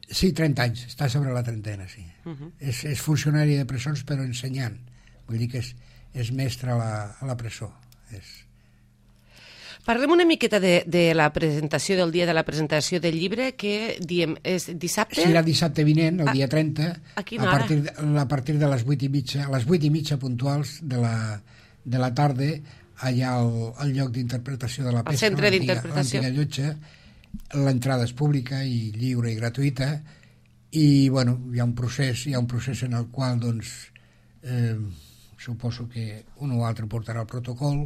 Sí, trenta anys, està sobre la trentena, sí. Uh-huh. és, és funcionari de presons però ensenyant, vull dir que és, és mestre a la, a la presó. És... Parlem una miqueta de, de la presentació, del dia de la presentació del llibre, que diem, és dissabte? Serà dissabte vinent, el a, dia trenta, a quina hora? A partir, de, a partir de les vuit i mitja, a les vuit i mitja puntuals de la, de la tarda, allà al, al lloc d'interpretació de la pesca, centre d'interpretació, l'antiga llotja. L'entrada és pública i lliure i gratuïta, i bueno, hi ha un procés, hi ha un procés en el qual doncs, eh, suposo que un o altre portarà el protocol.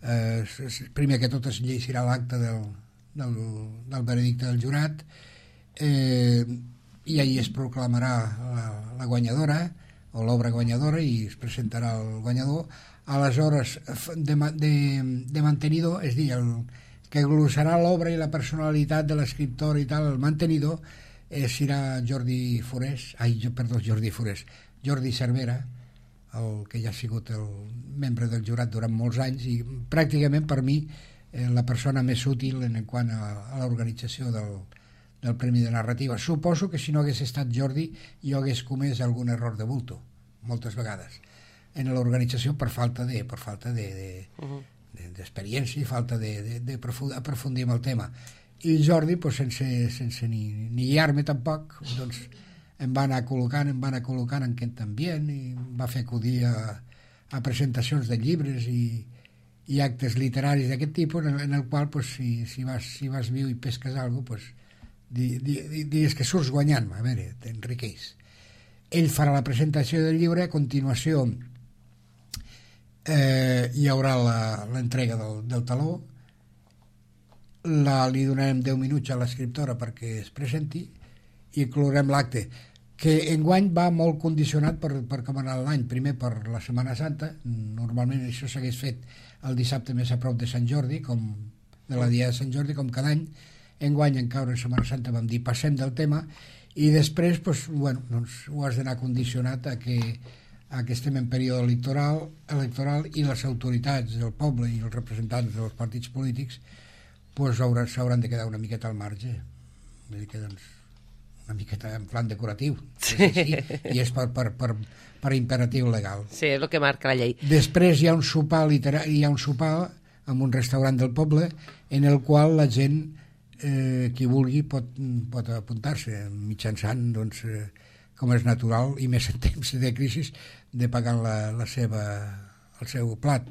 Eh, primer que tot es llegirà l'acte del, del, del veredicte del jurat, eh, i allí es proclamarà la, la guanyadora o l'obra guanyadora i es presentarà el guanyador. Aleshores, de, de, de mantenidor, és a dir, el que glossarà l'obra i la personalitat de l'escriptor i tal, el mantenidor, eh, serà Jordi Forés, ai, perdó, Jordi Forés, Jordi Cervera, el que ja ha sigut el membre del jurat durant molts anys i pràcticament per mi eh, la persona més útil en quant a, a l'organització del, del Premi de Narrativa. Suposo que si no hagués estat Jordi jo hagués comès algun error de bulto, moltes vegades en l'organització per falta de per falta de, de, uh-huh. de, d'experiència i falta de, de, de aprofundir en el tema. I Jordi, pues, sense, sense ni, ni guiar-me tampoc, doncs, em va anar col·locant, em va anar col·locant en aquest ambient i em va fer acudir a, a presentacions de llibres i, i actes literaris d'aquest tipus, en, en el qual, pues, si, si, vas, si vas viu i pesques alguna cosa, pues, di, di, di, digues que surts guanyant, a veure, t'enriqueix. Ell farà la presentació del llibre, a continuació eh, hi haurà l'entrega del, del taló, la, li donarem deu minuts a l'escriptora perquè es presenti i clorem l'acte, que enguany va molt condicionat per, per com anar l'any. Primer per la Setmana Santa, normalment això s'hagués fet el dissabte més a prop de Sant Jordi, com de la dia de Sant Jordi, com cada any. Enguany, en caure en Setmana Santa, vam dir passem del tema, i després pues, bueno, doncs, ho has d'anar condicionat a que, a que estem en període electoral, electoral i les autoritats del poble i els representants dels partits polítics pues, s'hauran de quedar una miqueta al marge. Vull dir que, doncs, una miqueta en plan decoratiu. Sí. Sí, i és per, per, per, per imperatiu legal. Sí, és el que marca la llei. Després hi ha un sopar literal, hi ha un sopar en un restaurant del poble en el qual la gent, eh, qui vulgui, pot, pot apuntar-se mitjançant, doncs, eh, com és natural, i més en temps de crisi, de pagar la, la seva, el seu plat.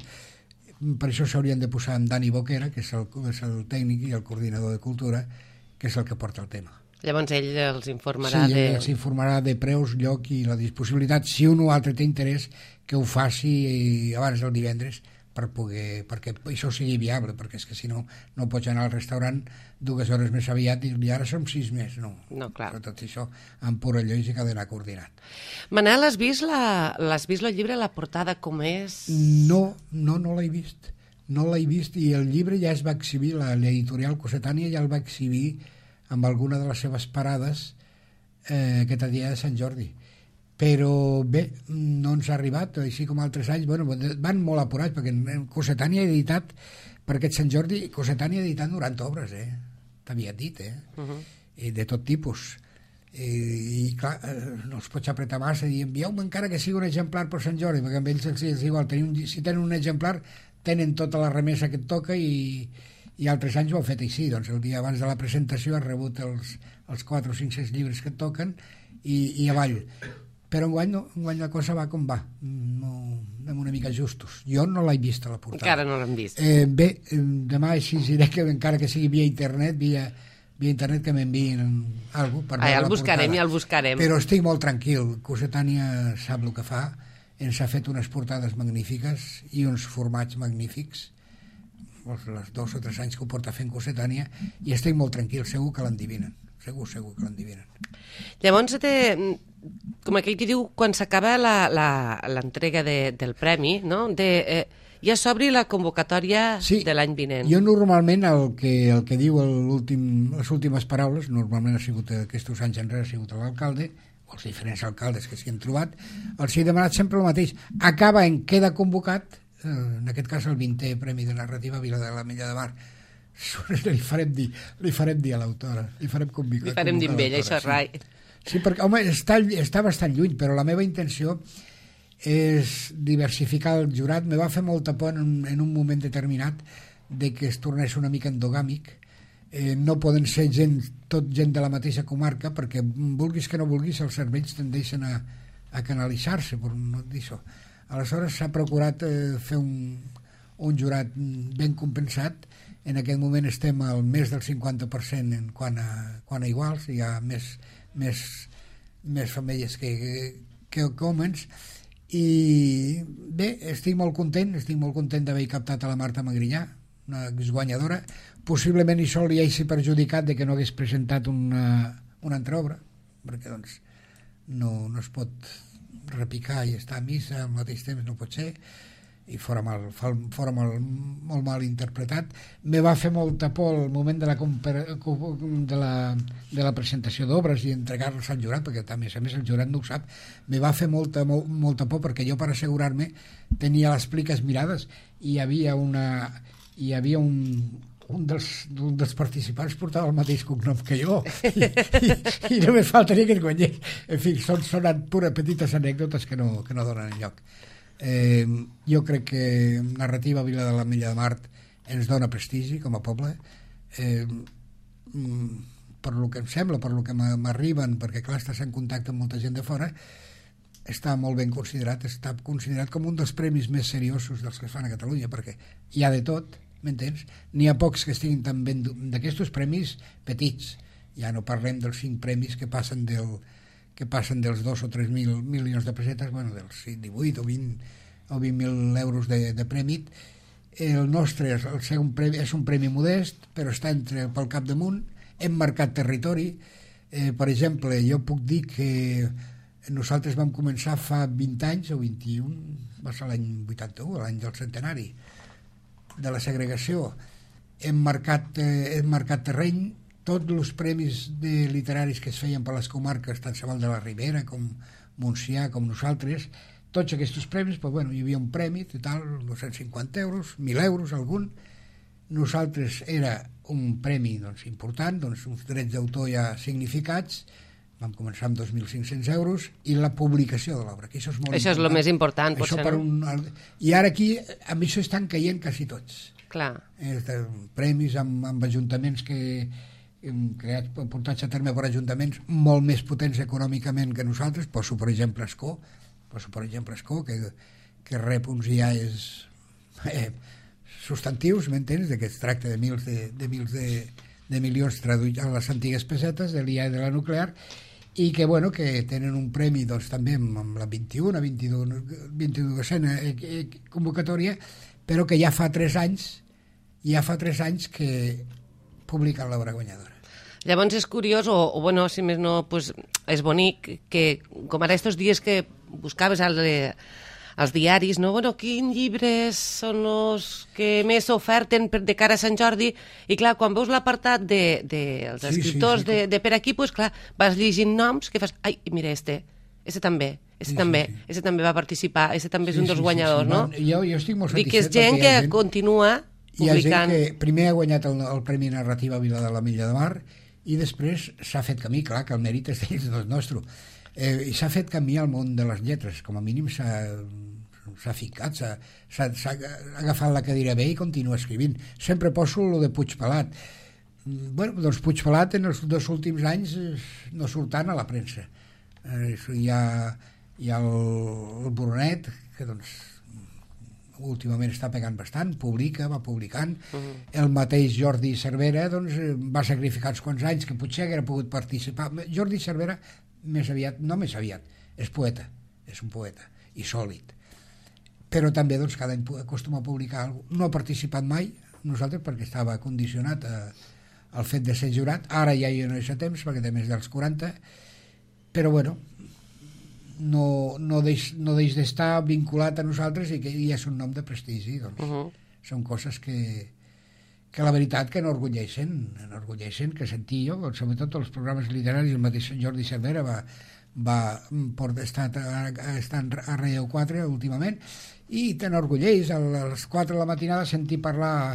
Per això s'haurien de posar amb Dani Boquera, que és el, és el tècnic i el coordinador de cultura, que és el que porta el tema. Llavors ell els informarà sí, de... Sí, els informarà de preus, lloc i la disponibilitat, si un o altre té interès, que ho faci abans del divendres, per poder, perquè això sigui viable, perquè és que si no, no pots anar al restaurant dues hores més aviat i ara som sis més, no. No, clar. Però tot això, amb pura lògica, ha d'anar coordinat. Manel, has vist, la, l'has vist el llibre, la portada com és? No, no, no l'he vist. No l'he vist i el llibre ja es va exhibir, l'editorial Cossetània ja el va exhibir amb alguna de les seves parades eh, aquest dia de Sant Jordi. Però bé, no ens ha arribat, així com altres anys, bueno, van molt apurats, perquè Cossetània ha editat, per aquest Sant Jordi, Cossetània ha editat noranta obres, eh? T'havia dit, eh? Uh-huh. I de tot tipus. I, i clar, no els pots apretar massa i envieu-me encara que sigui un exemplar per Sant Jordi, perquè amb ells és igual, tenen, si tenen un exemplar, tenen tota la remesa que et toca i, i altres anys ho han fet així, doncs el dia abans de la presentació has rebut els, els quatre o cinc cents llibres que et toquen i, i avall. Però enguany, no, enguany la cosa va com va, no, anem una mica justos. Jo no l'he vist a la portada. Encara no l'hem vist. Eh, bé, demà així diré que encara que sigui via internet, via, via internet que m'enviïn alguna cosa per veure ah, ja el la buscarem, portada. ja el buscarem. Però estic molt tranquil, Cossetània sap el que fa, ens ha fet unes portades magnífiques i uns formats magnífics, els dos o tres anys que ho porta fent Cossetània, i estic molt tranquil, segur que l'endivinen, segur, segur que l'endivinen. Llavors, te, com aquell que diu, quan s'acaba l'entrega de, del premi, no? de, eh, ja s'obri la convocatòria sí, de l'any vinent. Jo normalment el que, el que diu les últimes paraules, normalment ha sigut aquests anys enrere, ha sigut l'alcalde, o els diferents alcaldes que s'hi han trobat, els he demanat sempre el mateix. Acaba en queda convocat, eh, en aquest cas el vintè Premi de Narrativa Vila de l'Ametlla de Mar. Li farem dir, li farem dir a l'autora, li farem convocar. Li farem dir amb ella, això és rai. Sí, perquè, home, està, està bastant lluny, però la meva intenció és diversificar el jurat. Me va fer molta por en un, en un moment determinat de que es tornés una mica endogàmic. Eh, no poden ser gent, tot gent de la mateixa comarca, perquè vulguis que no vulguis, els cervells tendeixen a, a canalitzar-se, per no dir això. Aleshores s'ha procurat eh, fer un, un jurat ben compensat. En aquest moment estem al més del cinquanta per cent en quant a, quant a iguals, hi ha més, més, més femelles que, que, que homes, i bé, estic molt content, estic molt content d'haver captat a la Marta Magrinyà, una exguanyadora. Possiblement això li hagi perjudicat de que no hagués presentat una, una altra obra, perquè doncs no, no es pot repicar i estar a missa al mateix temps, no pot ser, i fora, mal, fora mal, molt mal interpretat. Me va fer molta por el moment de la, de la, de la presentació d'obres i entregar-los al jurat, perquè a més a més el jurat no ho sap. Me va fer molta, molt, molta por perquè jo, per assegurar-me, tenia les pliques mirades i hi havia una hi havia un, un, dels, un dels participants portava el mateix cognom que jo i, i, i només faltaria que es guanyés. En fi, són, són pures petites anècdotes que no, que no donen enlloc. Eh, jo crec que Narrativa Vila de l'Ametlla de Mar ens dona prestigi com a poble, eh, per lo que em sembla, per lo que m'arriben, perquè clar, estàs en contacte amb molta gent de fora, està molt ben considerat, està considerat com un dels premis més seriosos dels que es fan a Catalunya, perquè hi ha de tot, m'entens? N'hi ha pocs que estiguin tan ben d'aquests premis petits, ja no parlem dels cinc premis que passen del que passen dels dos o tres mil milions de pessetes, bueno, dels divuit o vint o vint mil euros de, de premi, el nostre és, el ser un premi, és un premi modest, però està entre pel capdamunt, hem marcat territori. Eh, per exemple, jo puc dir que nosaltres vam començar fa vint anys, o vint-i-un, va ser l'any vuitanta-u, l'any del centenari de la segregació. Hem marcat, eh, hem marcat terreny. Tots els premis de literaris que es feien per les comarques, tant Sabal de la Ribera com Montsià, com nosaltres, tots aquests premis, doncs, bueno, hi havia un premi total, dos-cents cinquanta euros, mil euros algun. Nosaltres era un premi doncs, important, doncs, uns drets d'autor ja significats, vam començar amb dos mil cinc-cents euros, i la publicació de l'obra, que això és molt això important. És el més important, això potser, per no? un... I ara aquí, amb això estan caient quasi tots. Clar. Eh, premis amb, amb ajuntaments que hem creat, portats a terme per ajuntaments molt més potents econòmicament que nosaltres. Poso per exemple Escó, poso per exemple Escó, que, que rep uns I A Es eh, substantius, m'entens, que es tracta de mils de, de, mils de, de milions traduïts a les antigues pessetes de l'I A E de la nuclear, i que, bueno, que tenen un premi doncs, també amb, amb la vint-i-una, vint-i-duesena convocatòria, però que ja fa tres anys ja fa tres anys que publiquen l'obra guanyadora. Llavors és curiós, o, o bueno, si més no, pues, és bonic, que com ara estos dies que buscaves al, als diaris, no? Bueno, quins llibres són els que més s'oferten per, de cara a Sant Jordi, i clar, quan veus l'apartat dels de, de, sí, escriptors sí, sí, de, de per aquí, pues, clar, vas llegint noms que fas, ai, mira, este, este també, este sí, també, sí, sí. este també va participar, este també és sí, un dels sí, guanyadors, sí, sí. no? no? Jo, jo estic molt satisfet. Dic que és gent que gent... continua publicant. Hi ha gent que primer ha guanyat el, el Premi Narrativa Vila de la Milla de Mar, i després s'ha fet camí, clar, que el mèrit és del nostre. Eh, I s'ha fet camí al món de les lletres, com a mínim s'ha s'ha ficat, s'ha agafat la cadira bé i continua escrivint. Sempre poso el de Puigpelat. Bueno, doncs Puigpelat en els dos últims anys no surt tant a la premsa. Eh, hi ha, hi ha el, el Brunet, que doncs últimament està pegant bastant, publica, va publicant. Uh-huh. El mateix Jordi Cervera doncs, va sacrificar uns quants anys que potser haguera pogut participar. Jordi Cervera, més aviat, no més aviat, és poeta, és un poeta, i sòlid. Però també doncs, cada any acostuma a publicar alguna cosa. No ha participat mai, nosaltres, perquè estava condicionat a, al fet de ser jurat. Ara ja hi ha no hi ha temps, perquè té més dels quaranta, però bueno, no, no deix, no deix d'estar vinculat a nosaltres i que ja és un nom de prestigi, doncs. Uh-huh. Són coses que, que la veritat que enorgulleixen, enorgulleixen, que sentir jo, sobretot els programes literaris, el mateix Jordi Cervera va, va estar estant a Relleu quatre últimament, i t'enorgulleix a les quatre de la matinada sentir parlar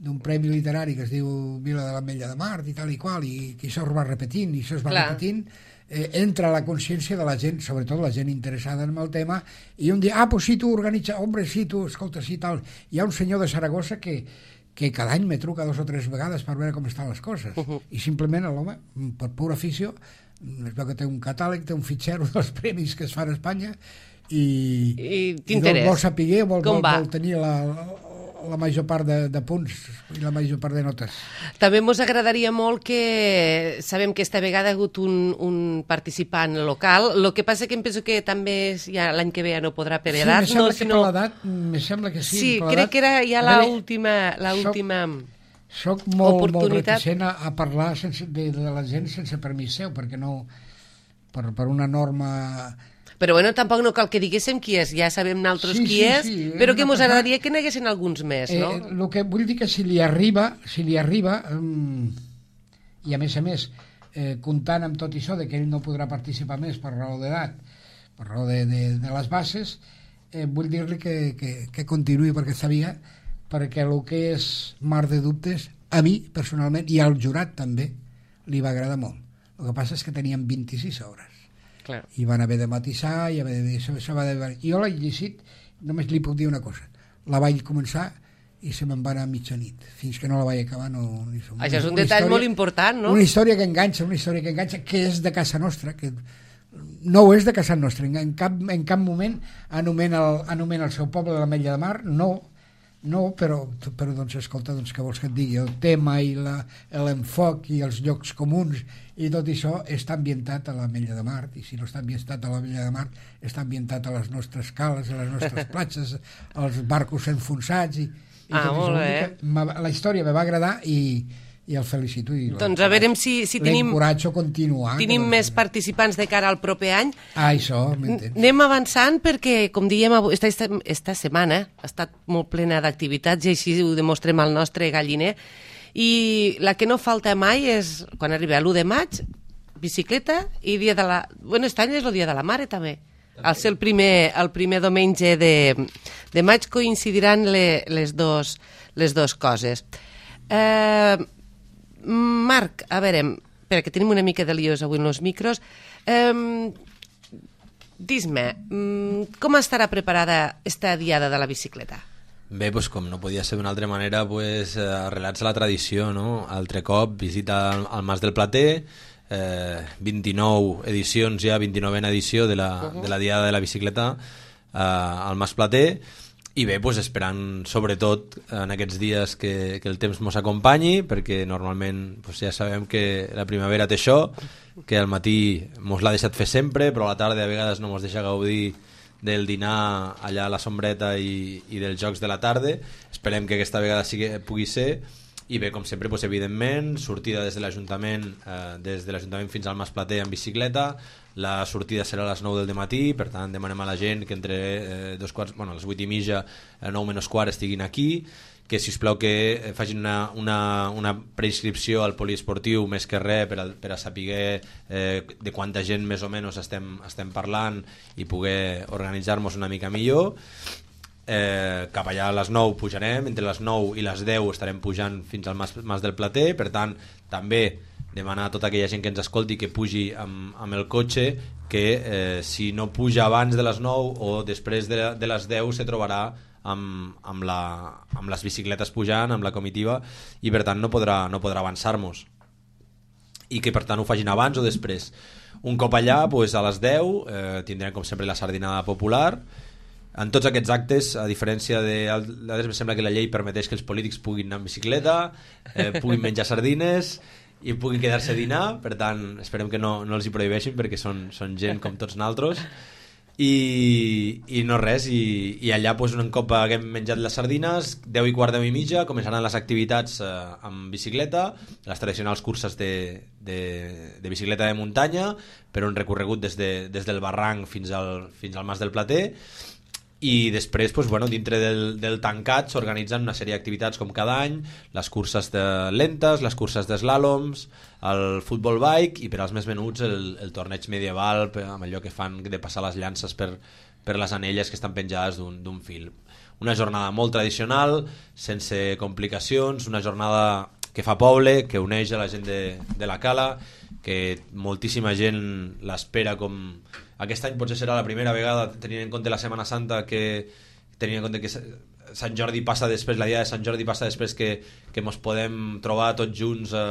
d'un premi literari que es diu Vila de l'Ametlla de Mar i tal i qual, i que això es va repetint i això es va Clar. repetint, eh, entra a la consciència de la gent, sobretot la gent interessada en el tema, i un dia, ah, pues sí, tu organitza, hombre, sí, tu, escolta, sí, tal. Hi ha un senyor de Saragossa que, que cada any me truca dos o tres vegades per veure com estan les coses, uh-huh. i simplement l'home, per pura afició, es veu que té un catàleg, té un fitxero dels premis que es fan a Espanya, i, I t'interessa. Vol saber, vol, vol, vol tenir la, la major part de, de punts i la major part de notes. També ens agradaria molt que... Sabem que esta vegada ha hagut un, un participant local, el que passa que em penso que també ja l'any que ve ja no podrà per edat. Sí, me sembla no, que sinó... per l'edat, me sembla que sí. Sí, crec que era ja l'última... l'última... Soc molt, molt reticent a, a parlar sense, de, de la gent sense permís seu, perquè no... Per, per una norma... Però bueno, tampoc no cal que diguéssim qui és, ja sabem nosaltres sí, qui sí, és, sí, però que ens passar... agradaria que n'haguessin alguns més, no? Eh, el que vull dir que si li arriba, si li arriba, um, i a més a més, eh, comptant amb tot això de que ell no podrà participar més per raó d'edat, per raó de, de, de les bases, eh, vull dir-li que, que, que continuï per aquesta via, perquè el que és mar de dubtes, a mi, personalment, i al jurat també, li va agradar molt. El que passa és que teníem vint-i-sis hores. Clar. I van haver de matisar, i haver de, això, això va de... Jo l'he llegit, només li puc dir una cosa. La vaig començar i se me'n va anar a mitjanit. Fins que no la vaig acabar no... Això una, és un detall història, molt important, no? Una història que enganxa, una història que enganxa, que és de casa nostra, que no ho és de casa nostra. En cap, en cap moment anomena el, anomena el seu poble de l'Ametlla de Mar, no. No, però, però doncs, escolta, doncs, què vols que et digui? El tema i l'enfoc i els llocs comuns i tot això està ambientat a l'Ametlla de Mar, i si no està ambientat a l'Ametlla de Mar, està ambientat a les nostres cales, a les nostres platges, als barcos enfonsats, i, i ah, tot molt això. La història me va agradar i i el felicito. I doncs a veure si, si tenim, l'encoratjo a continuar. Tenim més participants de cara al proper any. Ah, això, m'entens. Anem avançant perquè, com dèiem, esta, esta, esta setmana ha estat molt plena d'activitats i així ho demostrem al nostre galliner. I la que no falta mai és, quan arriba l'u de maig, bicicleta i dia de la... Bueno, aquest any és el dia de la mare, també. Al ser el primer, el primer diumenge de, de maig coincidiran le, les, dos, les dos coses. Eh... Marc, a veure, perquè tenim una mica de liós avui en els micros, eh, dis-me, com estarà preparada esta diada de la bicicleta? Bé, doncs, com no podia ser d'una altra manera, pues, arrelats a la tradició, no? Altre cop, visita al, al Mas del Plater, eh, vint-i-nou edicions ja, vint-i-novena edició de la, uh-huh. de la diada de la bicicleta eh, al Mas Plater. I bé, doncs esperant sobretot en aquests dies que, que el temps mos acompanyi, perquè normalment doncs ja sabem que la primavera té això, que al matí mos l'ha deixat fer sempre, però a la tarda a vegades no mos deixa gaudir del dinar allà a la sombreta i, i dels jocs de la tarda. Esperem que aquesta vegada sigui, pugui ser. I bé, com sempre, doncs, evidentment, sortida des de l'Ajuntament, eh, des de l'Ajuntament fins al Mas Plater en bicicleta. La sortida serà a les nou del matí, per tant demanem a la gent que entre eh, dos quarts, bueno, a les vuit i mitja, a nou menys quart estiguin aquí, que si us plau que facin una, una, una preinscripció al poliesportiu més que res per a, per a saber eh, de quanta gent més o menys estem, estem parlant i poder organitzar-nos una mica millor. Eh, cap allà a les nou pujarem, entre les nou i les deu estarem pujant fins al Mas, Mas del Plater, per tant també demanar a tota aquella gent que ens escolti que pugi amb, amb el cotxe, que eh, si no puja abans de les nou o després de, de les deu se trobarà amb, amb, la, amb les bicicletes pujant, amb la comitiva, i per tant no podrà, no podrà avançar-nos, i que per tant ho facin abans o després. Un cop allà, pues, a les deu eh, tindrem com sempre la sardinada popular. En tots aquests actes, a diferència de d'altres, em sembla que la llei permeteix que els polítics puguin anar en bicicleta, eh, puguin menjar sardines i puguin quedar-se a dinar, per tant esperem que no, no els hi prohibeixin, perquè són, són gent com tots nosaltres. I, i no res, i, i allà pues, un cop haguem menjat les sardines, deu i quart, deu i mitja, començaran les activitats eh, amb bicicleta, les tradicionals curses de, de, de bicicleta de muntanya, per un recorregut des, de, des del barranc fins al, fins al Mas del Plater. I després, doncs, bueno, dintre del, del tancat s'organitzen una sèrie d'activitats com cada any, les curses de lentes, les curses d'eslàloms, el futbol bike, i per als més menuts el, el torneig medieval, amb allò que fan de passar les llances per, per les anelles que estan penjades d'un fil. Una jornada molt tradicional, sense complicacions, una jornada que fa poble, que uneix a la gent de, de la cala, que moltíssima gent l'espera com... Aquest any potser serà la primera vegada, tenint en compte la Setmana Santa, que tenint en compte que Sant Jordi passa després, la dia de Sant Jordi passa després, que, que mos podem trobar tots junts eh,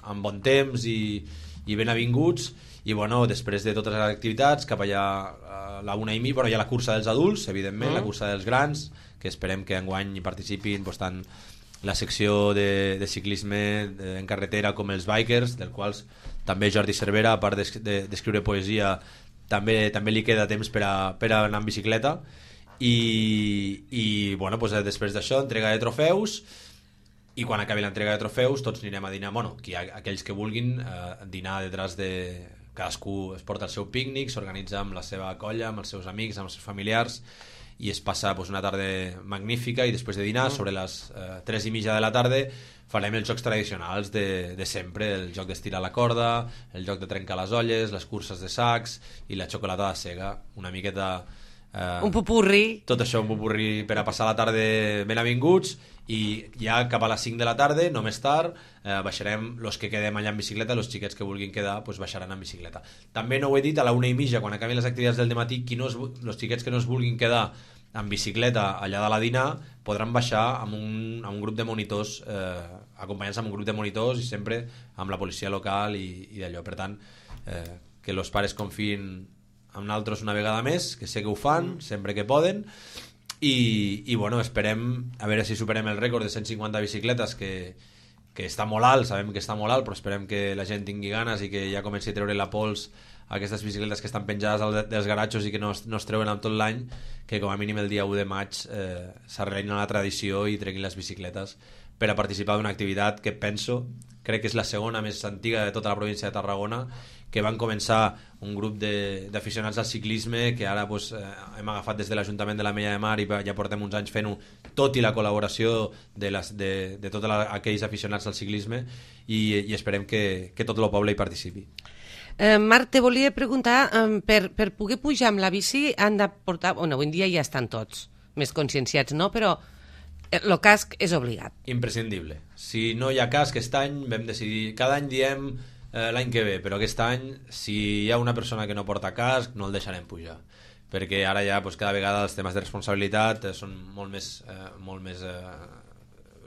amb bon temps i, i ben avinguts. I bueno, després de totes les activitats, cap allà a la una i mitja, bueno, hi ha la cursa dels adults, evidentment, uh-huh. la cursa dels grans, que esperem que enguany hi participin pues, tant la secció de, de ciclisme de, en carretera com els bikers, del quals també Jordi Cervera, a part d'escriure de, poesia, també, també li queda temps per a, per a anar en bicicleta. I, i bueno, pues, després d'això, entrega de trofeus, i quan acabi l'entrega de trofeus tots anirem a dinar, bueno, qui, aquells que vulguin eh, dinar detrás de... Cadascú es porta el seu pícnic, s'organitza amb la seva colla, amb els seus amics, amb els seus familiars, i es passa pues, una tarda magnífica, i després de dinar, sobre les eh, tres i mitja de la tarda, farem els jocs tradicionals de, de sempre, el joc d'estirar la corda, el joc de trencar les olles, les curses de sacs i la xocolata de sega, una miqueta... Eh, un pupurri. Tot això, un pupurri per a passar la tarda ben avinguts, i ja cap a les cinc de la tarda, no més tard, eh, baixarem, los que quedem allà en bicicleta, los xiquets que vulguin quedar, pues baixaran en bicicleta. També no ho he dit, a la una i mitja, quan acabin les activitats del dematí, qui no es, los xiquets que no es vulguin quedar en bicicleta allà de la dinar podran baixar amb un, amb un grup de monitors, eh, acompanyant-se amb un grup de monitors i sempre amb la policia local i, i d'allò. Per tant, eh, que els pares confien amb nosaltres una vegada més, que sé que ho fan sempre que poden, i, i bueno, esperem a veure si superem el rècord de cent cinquanta bicicletes que, que està molt alt, sabem que està molt alt, però esperem que la gent tingui ganes i que ja comenci a treure la pols a aquestes bicicletes que estan penjades al, dels garatxos i que no es, no es treuen amb tot l'any, que com a mínim el dia u de maig eh, s'arrelin a la tradició i treguin les bicicletes per a participar d'una activitat que penso, crec que és la segona més antiga de tota la província de Tarragona, que van començar un grup d'aficionats al ciclisme que ara pues, eh, hem agafat des de l'Ajuntament de la Mella de Mar i ja portem uns anys fent-ho, tot i la col·laboració de, les, de, de tots aquells aficionats al ciclisme i, i esperem que, que tot el poble hi participi. Eh, Marc, te volia preguntar, eh, per, per poder pujar amb la bici han de portar... Bueno, avui en dia ja estan tots més conscienciats, no? Però el casc és obligat. Imprescindible. Si no hi ha casc, aquest any vam decidir... Cada any diem eh, l'any que ve, però aquest any, si hi ha una persona que no porta casc, no el deixarem pujar. Perquè ara ja pues, cada vegada els temes de responsabilitat eh, són molt més, eh, molt més eh,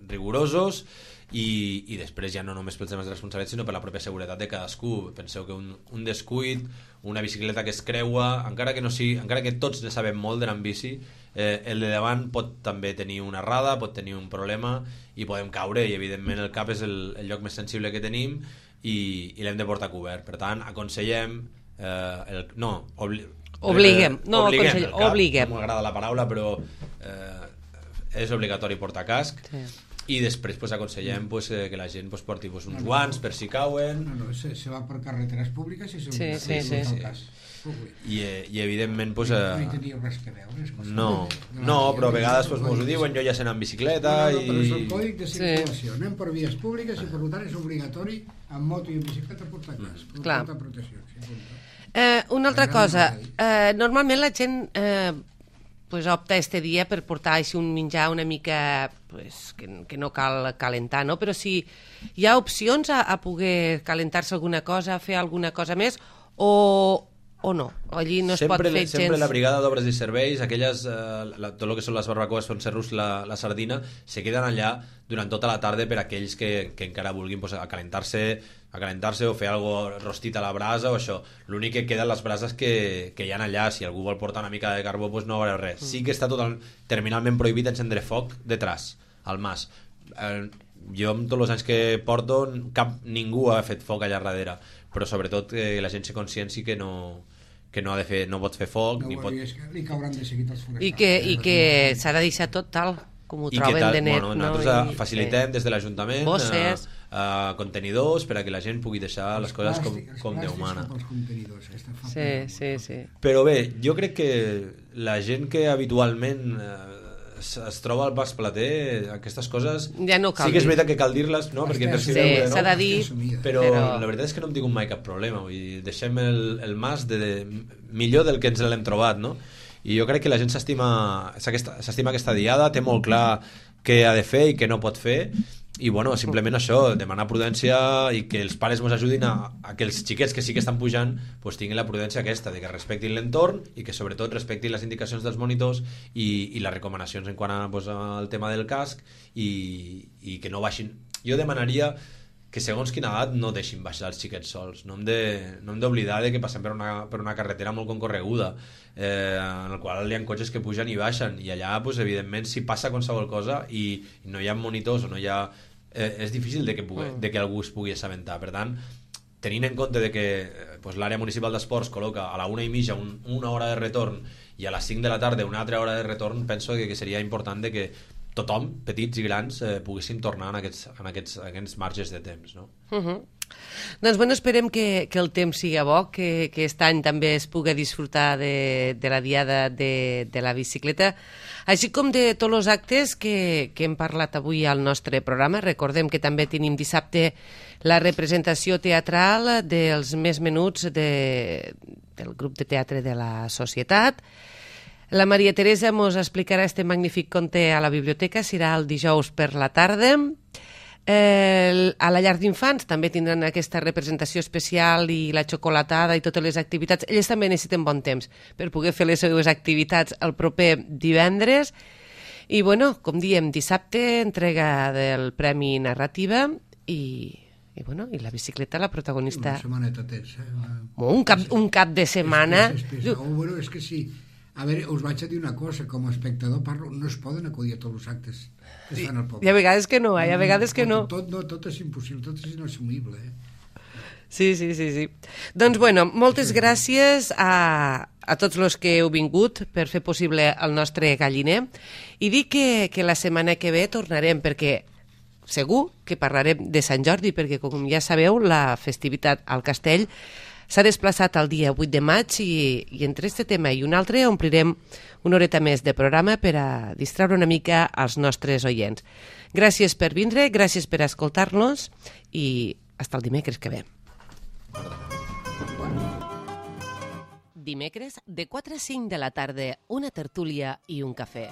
rigorosos i, i després ja no només pels temes de responsabilitat sinó per la pròpia seguretat de cadascú. Penseu que un, un descuit, una bicicleta que es creua, encara que, no sigui, encara que tots ne sabem molt d'anar en bici, eh, el de davant pot també tenir una errada, pot tenir un problema i podem caure i evidentment el cap és el, el lloc més sensible que tenim i, i l'hem de portar cobert. Per tant, aconsellem eh, el, no, obli, obliguem, no, obliguem, el cap, obliguem. No m'agrada la paraula però eh, és obligatori portar casc. Sí. I després pues, aconsellem pues, que la gent pues, porti pues, uns no, no, guants per si cauen. No, no, se, se va per carreteres públiques i se sí, sí, sí, sí. Cas. I, i evidentment pues, no hi tenia res que veure. No, no, però a vegades pues, mos ho diuen, jo ja sé anar en bicicleta no, no, i... però és el còdic de circulació, sí. Anem per vies públiques i per tant és obligatori amb moto i en bicicleta portar casc, mm. portar protecció. Sí, eh, una altra cosa, eh, normalment la gent... Eh, pues opta este dia per portar així un menjar una mica pues, que, que no cal calentar, no? Però si hi ha opcions a, a poder calentar-se alguna cosa, fer alguna cosa més, o, o no? Allí no es sempre, pot fer gens... Sempre la brigada d'obres i serveis, aquelles, eh, la, tot el que són les barbacoes, fent serrus, la, la sardina, se queden allà durant tota la tarda per aquells que, que encara vulguin pues, a calentar-se a calentar-se o fer algo rostit a la brasa o això. L'únic que queden les brases que, que hi ha allà. Si algú vol portar una mica de carbó pues no va res. Sí que està total, terminalment prohibit encendre foc detrás, al mas. Eh, jo amb tots els anys que porto cap, ningú ha fet foc allà darrere, però sobretot que la gent se conscienci que no que no ha de fer, no pot fer foc no, ni pot... és que li cauran de seguit els forestals. I que, i que s'ha de deixar tot tal com ho troben tal, de net. Bueno, nosaltres no? I, facilitem des de l'Ajuntament bosses, eh, eh, contenidors per a que la gent pugui deixar les coses com, com Déu mana. Sí, sí, sí. Però bé, jo crec que la gent que habitualment eh, es, es troba al Pas Plater, aquestes coses ja no cal sí que és dir. veritat que cal dir-les, no? Perquè sí, veure, no? S'ha de dir, però, però la veritat és que no hem tingut mai cap problema. Vull dir, deixem el, el mas de, de, millor del que ens l'hem trobat, no? I jo crec que la gent s'estima s'estima aquesta diada, té molt clar què ha de fer i què no pot fer i bueno, simplement això, demanar prudència i que els pares ens ajudin a, a que els xiquets que sí que estan pujant pues, tinguin la prudència aquesta, de que respectin l'entorn i que sobretot respectin les indicacions dels monitors i, i les recomanacions en quant a, pues, al tema del casc i, i que no baixin. Jo demanaria que segons quina edat no deixin baixar els xiquets sols. No hem de, no hem d'oblidar de que passem per una, per una carretera molt concorreguda, eh, en el qual hi ha cotxes que pugen i baixen, i allà, pues, evidentment, si passa qualsevol cosa i, i no hi ha monitors o no hi ha... Eh, és difícil de que, pugui, de que algú es pugui assabentar. Per tant, tenint en compte de que pues, l'àrea municipal d'esports col·loca a la una i mitja un, una hora de retorn i a les cinc de la tarda una altra hora de retorn, penso que, que seria important de que tothom, petits i grans, eh, poguéssim tornar en aquests, en aquests, en aquests marges de temps, no? Uh -huh. Doncs bueno, esperem que, que el temps siga bo, que, que aquest any també es pugui disfrutar de, de la diada de, de la bicicleta, així com de tots els actes que, que hem parlat avui al nostre programa. Recordem que també tenim dissabte la representació teatral dels Més Menuts de, del grup de teatre de la Societat. La Maria Teresa ens explicarà este magnífic conte a la biblioteca, serà el dijous per la tarda. Eh, a la llar d'infants també tindran aquesta representació especial i la xocolatada i totes les activitats. Ells també necessiten bon temps per poder fer les seves activitats el proper divendres. I, bueno, com diem, dissabte, entrega del Premi Narrativa i... I, bueno, i la bicicleta, la protagonista... Una setmaneta tens, eh? Un cap, un cap de setmana... És, és, és, és, bueno, és que sí, A veure, us vaig a dir una cosa, com a espectador parlo, no es poden acudir a tots els actes que es fan al poble. Hi ha vegades que no, hi ha vegades que no. Tot, no, tot és impossible, tot és inassumible, eh? Sí, sí, sí, sí. Doncs, bueno, moltes gràcies a, a tots els que heu vingut per fer possible el nostre galliner i dir que, que la setmana que ve tornarem, perquè segur que parlarem de Sant Jordi, perquè, com ja sabeu, la festivitat al castell s'ha desplaçat al dia vuit de maig i, i entre este tema i un altre omplirem una horeta més de programa per a distreure una mica als nostres oients. Gràcies per vindre, gràcies per escoltar-nos i fins el dimecres que ve. Dimecres, de quatre a cinc de la tarda, una tertúlia i un cafè.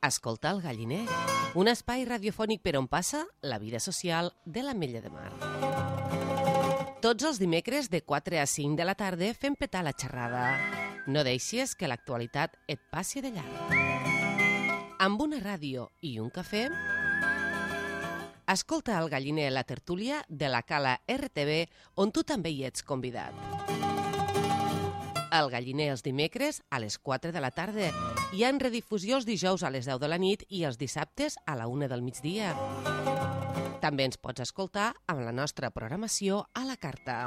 Escoltar el galliner, un espai radiofònic per on passa la vida social de l'Ametlla de Mar. Tots els dimecres de quatre a cinc de la tarda fem petar la xerrada. No deixis que l'actualitat et passi de llarg. Amb una ràdio i un cafè, escolta el galliner la tertúlia de la Cala R T V, on tu també hi ets convidat. El galliner els dimecres a les quatre de la tarda. Hi ha en redifusió els dijous a les deu de la nit i els dissabtes a la una del migdia. També ens pots escoltar amb la nostra programació a la carta.